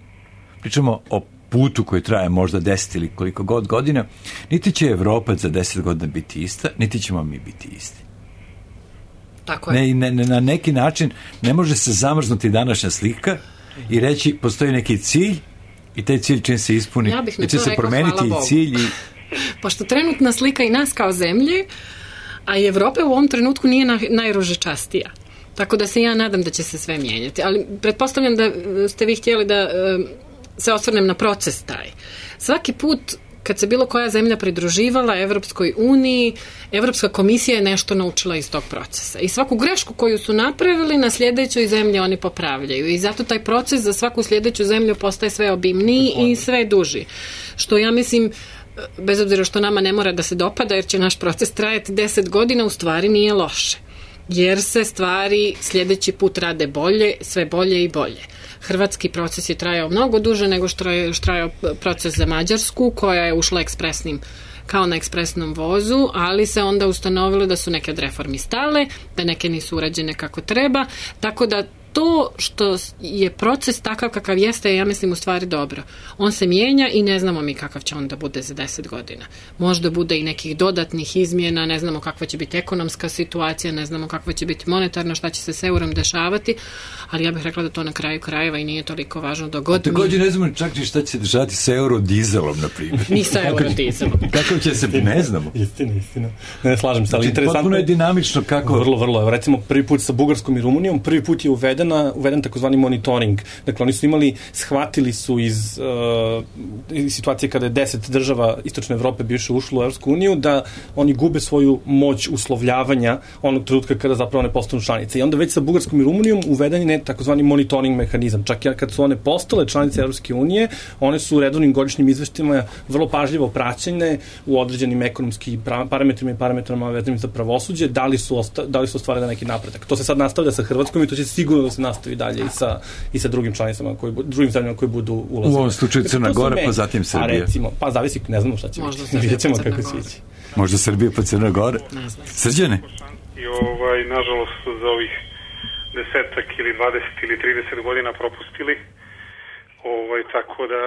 Pričamo o putu koji traje možda deset ili koliko god godina, niti će Evropa za deset godina biti ista, niti ćemo mi biti isti. Tako je. Ne, ne, ne, na neki način ne može se zamrznuti današnja slika i reći postoji neki cilj i taj cilj čim se ispuni, Ja bih na da će to se rekla, promeniti hvala i Bogu. cilj i Pošto trenutna slika i nas kao zemlje, a i Evrope u ovom trenutku nije na, najružičastija. Tako da se ja nadam da će se sve mijenjati. Ali pretpostavljam da e, ste vi htjeli da e, se osvrnem na proces taj. Svaki put kad se bilo koja zemlja pridruživala Evropskoj uniji, Evropska komisija je nešto naučila iz tog procesa. I svaku grešku koju su napravili na sljedećoj zemlji oni popravljaju. I zato taj proces za svaku sljedeću zemlju postaje sve obimniji i sve duži. Što ja mislim, bez obzira što nama ne mora da se dopada, jer će naš proces trajati deset godina, u stvari nije loše. Jer se stvari sljedeći put rade bolje, sve bolje i bolje. Hrvatski proces je trajao mnogo duže nego što je trajao proces za Mađarsku, koja je ušla ekspresnim, kao na ekspresnom vozu, ali se onda ustanovilo da su neke od reformi stale, da neke nisu urađene kako treba, tako da to što je proces takav kakav jeste, ja mislim u stvari dobro. On se mijenja i ne znamo mi kakav će on da bude za deset godina. Možda bude i nekih dodatnih izmjena, ne znamo kakva će biti ekonomska situacija, ne znamo kakva će biti monetarna, šta će se s eurom dešavati, ali ja bih rekla da to na kraju krajeva i nije toliko važno do god. Također ne znamo čak ni šta će se dešavati sa eurodizelom, na primjer. Ni sa eurodizelom. Kako će se, ne znamo. Istina, istina. Ne, slažem se, ali Znači, interesantno potpuno je dinamično kako... Vrlo, vrlo. Evo, recimo, prvi put sa Bugarskom i Rumunijom, prvi put je uvedena, uveden takozvani monitoring. Dakle, oni su imali, shvatili su iz, uh, iz situacije kada je deset država Istočne Evrope bivše ušlo u Evropsku uniju, da oni gube svoju moć uslovljavanja onog trenutka kada zapravo ne postanu članice. I onda već sa Bugarskom i Rumunijom uveden je takozvani monitoring mehanizam. Čak i kad su one postale članice Evropske unije, one su u redovnim godišnjim izveštima vrlo pažljivo praćene u određenim ekonomskim parametrima i parametrama vezanim za pravosuđe, da li su, osta, da li su ostvarili neki napredak. To se sad nastavlja sa Hrvatskom i to će sigurno da se nastavi dalje i sa, i sa drugim članicama, koji, drugim zemljama koji budu ulazili. U ovom slučaju Crna Gora, pa zatim Srbija. A recimo, pa zavisi, ne znamo šta će Možda biti. Srbija Vidjet ćemo pa Crna kako Gora. će ići. Možda Srbija pa Crna Gora. Srđane? I ovaj, nažalost su za ovih desetak ili dvadeset ili trideset godina propustili. Ovaj, tako da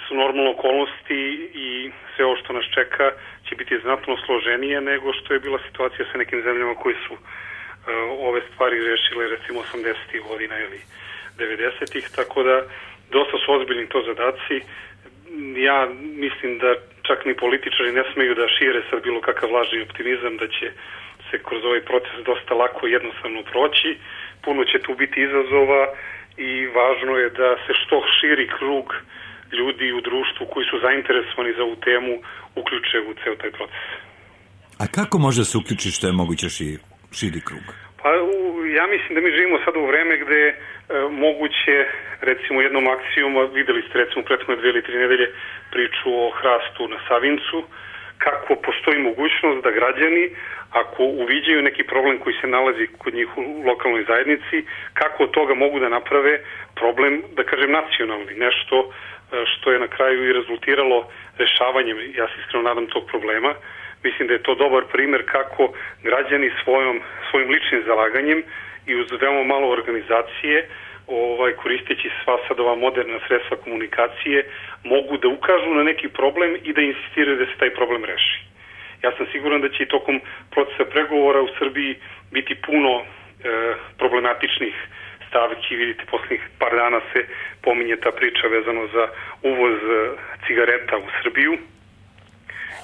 su normalne okolnosti i sve ovo što nas čeka će biti znatno složenije nego što je bila situacija sa nekim zemljama koji su uh, ove stvari rešile recimo osamdesetih godina ili devedesetih, tako da dosta su ozbiljni to zadaci. Ja mislim da čak ni političari ne smeju da šire sad bilo kakav lažni optimizam da će se kroz ovaj proces dosta lako i jednostavno proći. Puno će tu biti izazova i važno je da se što širi krug ljudi u društvu koji su zainteresovani za ovu temu uključe u ceo taj proces. A kako može se uključiti što je moguće širi, širi krug? Pa ja mislim da mi živimo sad u vreme gde e, moguće recimo jednom akcijom, videli ste recimo prethodne dve ili tri nedelje priču o hrastu na Savincu, kako postoji mogućnost da građani, ako uviđaju neki problem koji se nalazi kod njih u lokalnoj zajednici, kako od toga mogu da naprave problem, da kažem, nacionalni, nešto što je na kraju i rezultiralo rešavanjem, ja se iskreno nadam, tog problema. Mislim da je to dobar primer kako građani svojom, svojim ličnim zalaganjem i uz veoma malo organizacije, ovaj, koristeći sva sad ova moderna sredstva komunikacije, mogu da ukažu na neki problem i da insistiraju da se taj problem reši. Ja sam siguran da će i tokom procesa pregovora u Srbiji biti puno e, problematičnih stavki. Vidite, posljednjih par dana se pominje ta priča vezano za uvoz e, cigareta u Srbiju.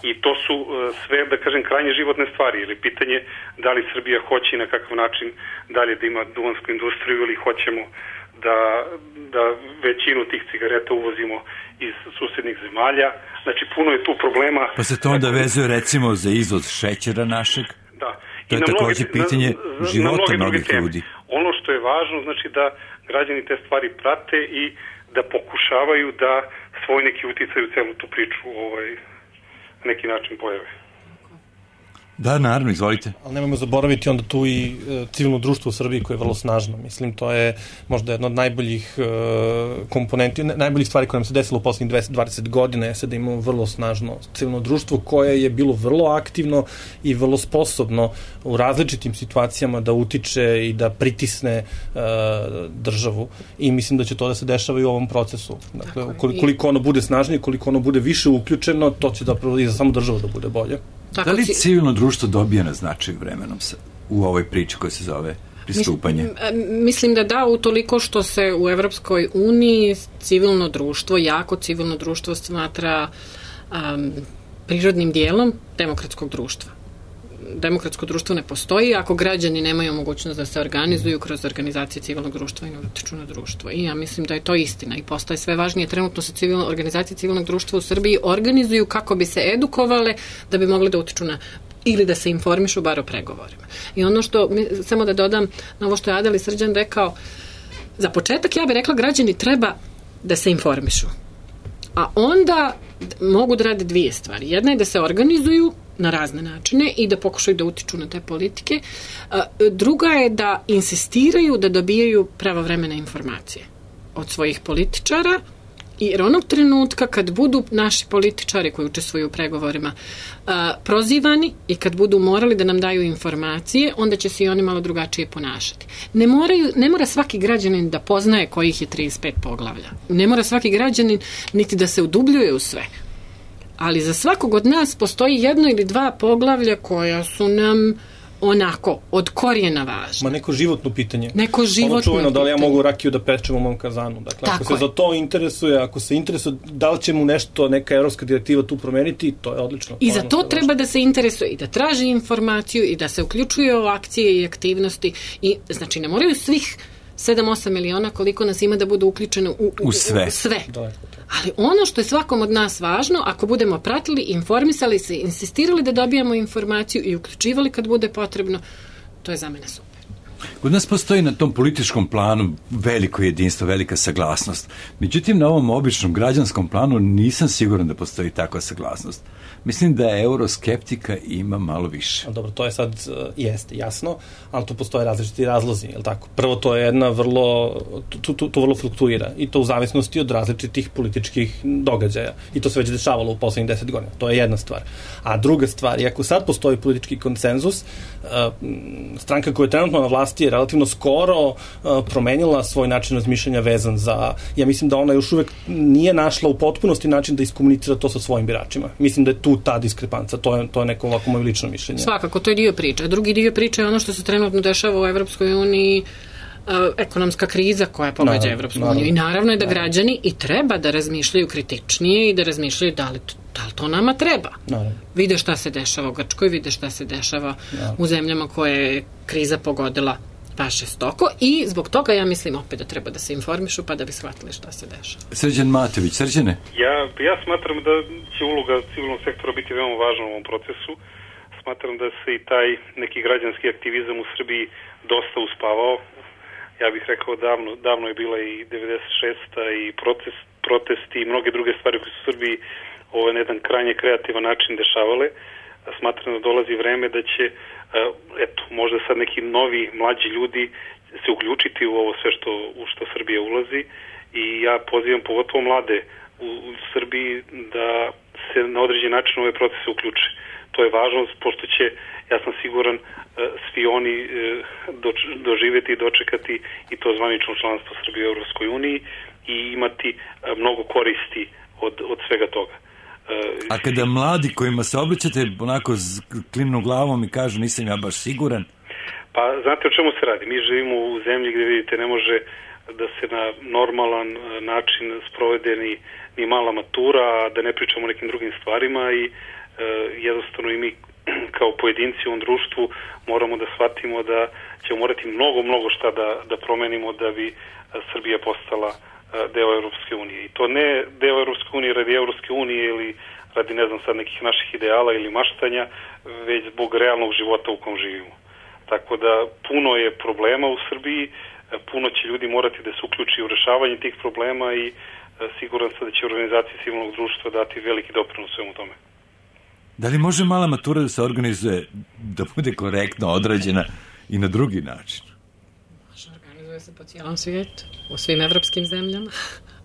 I to su e, sve, da kažem, krajnje životne stvari. Ili pitanje da li Srbija hoće i na kakav način dalje da ima duvansku industriju ili hoćemo da, da većinu tih cigareta uvozimo iz susednih zemalja. Znači, puno je tu problema. Pa se to onda vezuje recimo za izvoz šećera našeg? Da. To je također pitanje na, života mnogih ljudi. Ono što je važno, znači da građani te stvari prate i da pokušavaju da svoj neki uticaj u celu tu priču ovaj, na neki način pojave. Da, naravno, izvolite. Ali nemojmo zaboraviti onda tu i e, civilno društvo u Srbiji koje je vrlo snažno. Mislim, to je možda jedna od najboljih e, komponenti, ne, najboljih stvari koje nam se desilo u poslednjih dvadeset godina je da imamo vrlo snažno civilno društvo koje je bilo vrlo aktivno i vrlo sposobno u različitim situacijama da utiče i da pritisne e, državu. I mislim da će to da se dešava i u ovom procesu. Dakle, koliko ono bude snažnije, koliko ono bude više uključeno, to će zapravo i za samu državu da bude bolje. Tako da li civilno društvo dobija na značaju vremenom se u ovoj priči koja se zove pristupanje? Mislim da da, utoliko što se u Evropskoj uniji civilno društvo, jako civilno društvo smatra um, prirodnim dijelom demokratskog društva. Demokratsko društvo ne postoji ako građani nemaju mogućnost da se organizuju kroz organizacije civilnog društva i ne utiču na društvo. I ja mislim da je to istina i postaje sve važnije. Trenutno se civilno, organizacije civilnog društva u Srbiji organizuju kako bi se edukovale da bi mogli da utiču na ili da se informišu bar o pregovorima. I ono što, samo da dodam na ovo što je Adel i Srđan rekao, za početak ja bih rekla građani treba da se informišu. A onda mogu da rade dvije stvari. Jedna je da se organizuju na razne načine i da pokušaju da utiču na te politike. Druga je da insistiraju da dobijaju pravovremene informacije od svojih političara, jer onog trenutka kad budu naši političari koji učestvuju u pregovorima prozivani i kad budu morali da nam daju informacije, onda će se i oni malo drugačije ponašati. Ne, moraju, ne mora svaki građanin da poznaje kojih je trideset pet poglavlja. Ne mora svaki građanin niti da se udubljuje u sve. Ali za svakog od nas postoji jedno ili dva poglavlja koja su nam onako, od korijena važna. Ma neko životno pitanje. Neko životno ono čuveno, pitanje. da li ja mogu rakiju da pečem u mom kazanu. Dakle, Tako ako se je. za to interesuje, ako se interesuje da li će mu nešto, neka evropska direktiva tu promeniti, to je odlično. I za to treba da se interesuje i da traži informaciju i da se uključuje u akcije i aktivnosti. I, znači, ne moraju svih sedam osam miliona koliko nas ima da budu uključene u, u, u sve. U sve. Ali ono što je svakom od nas važno, ako budemo pratili, informisali se, insistirali da dobijamo informaciju i uključivali kad bude potrebno, to je za mene super. Kod nas postoji na tom političkom planu veliko jedinstvo, velika saglasnost. Međutim, na ovom običnom građanskom planu nisam siguran da postoji takva saglasnost. Mislim da euroskeptika ima malo više. Dobro, to je sad, uh, jeste, jasno, ali tu postoje različiti razlozi, je li tako? Prvo, to je jedna vrlo, tu, tu, tu vrlo fluktuira i to u zavisnosti od različitih političkih događaja. I to se već dešavalo u poslednjih deset godina. To je jedna stvar. A druga stvar, iako sad postoji politički konsenzus, uh, stranka koja je trenutno na vlasti je relativno skoro uh, promenila svoj način razmišljanja vezan za, ja mislim da ona još uvek nije našla u potpunosti način da iskomunicira to sa svojim biračima. Mislim da je tu ta diskrepanca, to je, to je neko ovako moje lično mišljenje. Svakako, to je dio priče. Drugi dio priče je ono što se trenutno dešava u Evropskoj uniji, uh, ekonomska kriza koja pogađa Evropsku uniju. I naravno je da naravno. građani i treba da razmišljaju kritičnije i da razmišljaju da li to, da li to nama treba. Naravno. Vide šta se dešava u Grčkoj, vide šta se dešava naravno. u zemljama koje je kriza pogodila baš žestoko i zbog toga ja mislim opet da treba da se informišu pa da bi shvatili šta se dešava. Srđan Matović, Srđane? Ja, ja smatram da će uloga civilnog sektora biti veoma važna u ovom procesu. Smatram da se i taj neki građanski aktivizam u Srbiji dosta uspavao. Ja bih rekao davno, davno je bila i devedeset šesta i protest, protesti i mnoge druge stvari koje su u Srbiji ovaj, na jedan krajnje kreativan način dešavale. Smatram da dolazi vreme da će eto, možda sad neki novi, mlađi ljudi se uključiti u ovo sve što, u što Srbija ulazi i ja pozivam pogotovo mlade u, u Srbiji da se na određen način ove procese uključe. To je važno, pošto će, ja sam siguran, svi oni doč, doživjeti i dočekati i to zvanično članstvo Srbije u Europskoj uniji i imati mnogo koristi od, od svega toga. A kada mladi kojima se obraćate onako klimnu glavom i kažu nisam ja baš siguran? Pa znate o čemu se radi? Mi živimo u zemlji gdje vidite ne može da se na normalan način sprovede ni, ni mala matura, a da ne pričamo o nekim drugim stvarima i e, jednostavno i mi kao pojedinci u ovom društvu moramo da shvatimo da ćemo morati mnogo, mnogo šta da, da promenimo da bi Srbija postala deo Evropske unije. I to ne deo Evropske unije radi Evropske unije ili radi, ne znam sad, nekih naših ideala ili maštanja, već zbog realnog života u kom živimo. Tako da puno je problema u Srbiji, puno će ljudi morati da se uključi u rešavanje tih problema i siguran sam da će organizacije civilnog društva dati veliki doprinos svemu tome. Da li može mala matura da se organizuje, da bude korektno odrađena i na drugi način? Organizuje se po cijelom svijetu, u svim evropskim zemljama,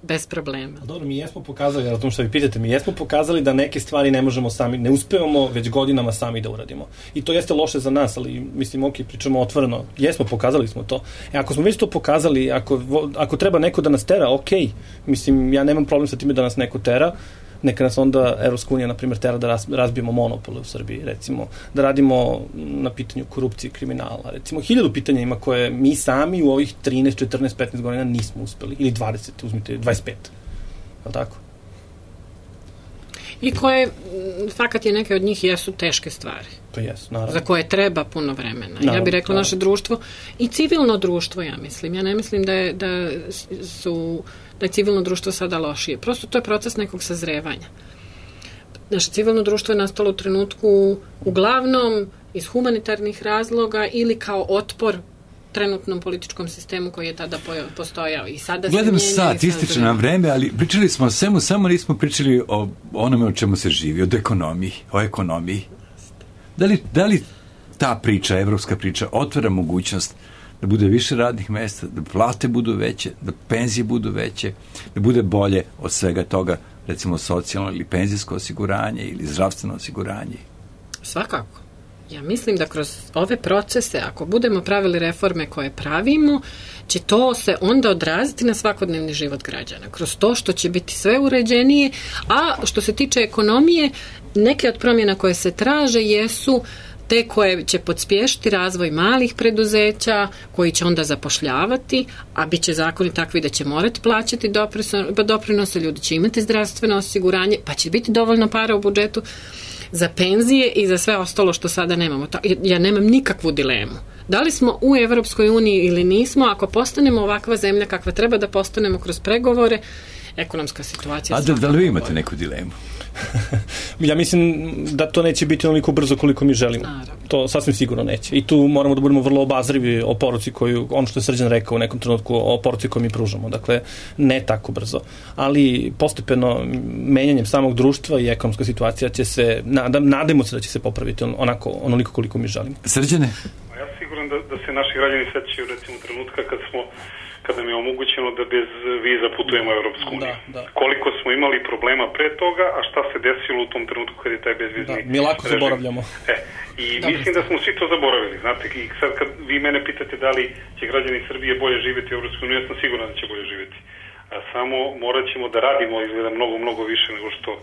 bez problema. Dobro, mi jesmo pokazali, o tom što vi pitate, mi jesmo pokazali da neke stvari ne možemo sami, ne uspevamo već godinama sami da uradimo. I to jeste loše za nas, ali mislim, ok, pričamo otvoreno, jesmo, pokazali smo to. E, ako smo već to pokazali, ako, ako treba neko da nas tera, ok, mislim, ja nemam problem sa time da nas neko tera, neka nas onda Evropska unija, na primjer, tera da razbijemo monopole u Srbiji, recimo, da radimo na pitanju korupcije i kriminala, recimo, hiljadu pitanja ima koje mi sami u ovih trinaest, četrnaest, petnaest godina nismo uspeli, ili dvadeset, uzmite, dvadeset pet, je li tako? I koje, fakat je neke od njih jesu teške stvari. To jesu, naravno. Za koje treba puno vremena. Naravno, ja bih rekla naravno. Naše društvo i civilno društvo, ja mislim. Ja ne mislim da je, da su da je civilno društvo sada lošije. Prosto to je proces nekog sazrevanja. Naše civilno društvo je nastalo u trenutku uglavnom iz humanitarnih razloga ili kao otpor trenutnom političkom sistemu koji je tada postojao i sada se Gledam mijenja. sat, ističe nam vreme, ali pričali smo o svemu, samo nismo pričali o onome o čemu se živi, o ekonomiji, o ekonomiji. Da li, da li ta priča, evropska priča, otvara mogućnost da bude više radnih mesta, da plate budu veće, da penzije budu veće, da bude bolje od svega toga, recimo socijalno ili penzijsko osiguranje ili zdravstveno osiguranje? Svakako. Ja mislim da kroz ove procese, ako budemo pravili reforme koje pravimo, će to se onda odraziti na svakodnevni život građana. Kroz to što će biti sve uređenije, a što se tiče ekonomije, neke od promjena koje se traže jesu te koje će podspješiti razvoj malih preduzeća, koji će onda zapošljavati, a bit će zakoni takvi da će morati plaćati doprinose, ljudi će imati zdravstveno osiguranje, pa će biti dovoljno para u budžetu za penzije i za sve ostalo što sada nemamo. Ja nemam nikakvu dilemu. Da li smo u Evropskoj uniji ili nismo, ako postanemo ovakva zemlja kakva treba da postanemo kroz pregovore, ekonomska situacija... A da, da li vi imate neku dilemu? Ja mislim da to neće biti onoliko brzo koliko mi želimo. Naravno. To sasvim sigurno neće. I tu moramo da budemo vrlo obazrivi o poruci koju, ono što je Srđan rekao u nekom trenutku, o poruci koju mi pružamo. Dakle, ne tako brzo. Ali postepeno menjanjem samog društva i ekonomska situacija će se, nadam, nadamo se da će se popraviti onako, onoliko koliko mi želimo. Srđane? Ja sam siguran da, da se naši građani sećaju recimo trenutka kad smo kada nam je omogućeno da bez viza putujemo u Evropsku uniju. Da, da. Koliko smo imali problema pre toga, a šta se desilo u tom trenutku kad je taj bezvizni da, mi lako režim. Zaboravljamo. E, I da, mislim da smo svi to zaboravili. Znate, i sad kad vi mene pitate da li će građani Srbije bolje živjeti u Evropskoj uniji, ja sam siguran da će bolje živjeti. A samo morat ćemo da radimo izgleda mnogo, mnogo više nego što uh,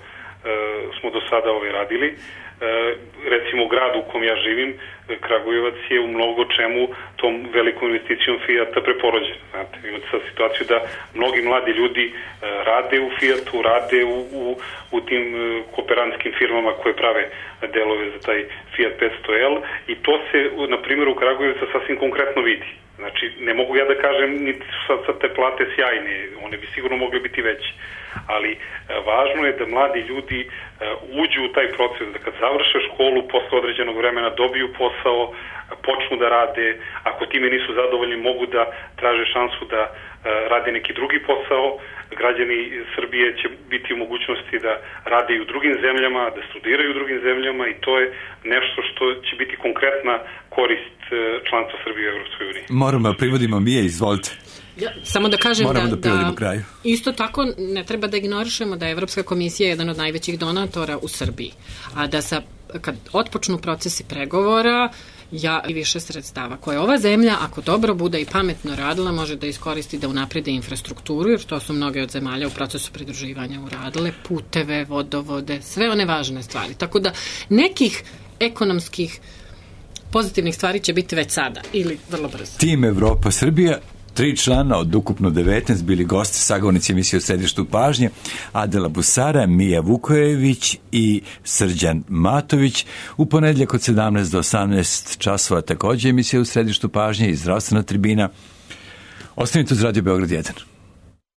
smo do sada ove radili. Uh, recimo u gradu u kom ja živim, Kragujevac je u mnogo čemu tom velikom investicijom Fijata preporođen. Znate, imate sad situaciju da mnogi mladi ljudi uh, rade u Fijatu, rade u, u, u tim uh, kooperantskim firmama koje prave delove za taj Fiat petsto L i to se, na primjer, u Kragujevcu sasvim konkretno vidi. Znači, ne mogu ja da kažem ni sad, sad te plate sjajne, one bi sigurno mogle biti veće, ali e, važno je da mladi ljudi e, uđu u taj proces, da kad završe školu, posle određenog vremena dobiju posao, počnu da rade, ako time nisu zadovoljni mogu da traže šansu da e, rade neki drugi posao, građani Srbije će biti u mogućnosti da rade i u drugim zemljama, da studiraju u drugim zemljama i to je nešto što će biti konkretna korist članstva Srbije u Evropskoj uniji. Moramo da privodimo, Mije, izvolite. Ja, samo da kažem Moramo da, da, da kraju. Isto tako ne treba da ignorišemo da je Evropska komisija jedan od najvećih donatora u Srbiji, a da sa kad otpočnu procesi pregovora, ja i više sredstava koje ova zemlja, ako dobro bude i pametno radila, može da iskoristi da unaprede infrastrukturu, jer to su mnoge od zemalja u procesu pridruživanja uradile, puteve, vodovode, sve one važne stvari. Tako da nekih ekonomskih pozitivnih stvari će biti već sada ili vrlo brzo. Tim Evropa Srbija, tri člana od ukupno devetnaest bili gosti, sagovornici emisije u središtu pažnje, Adela Busara, Mija Vukojević i Srđan Matović. U ponedjeljak od sedamnaest do osamnaest časova također emisija u središtu pažnje i zdravstvena tribina. Ostanite uz Radio Beograd jedan.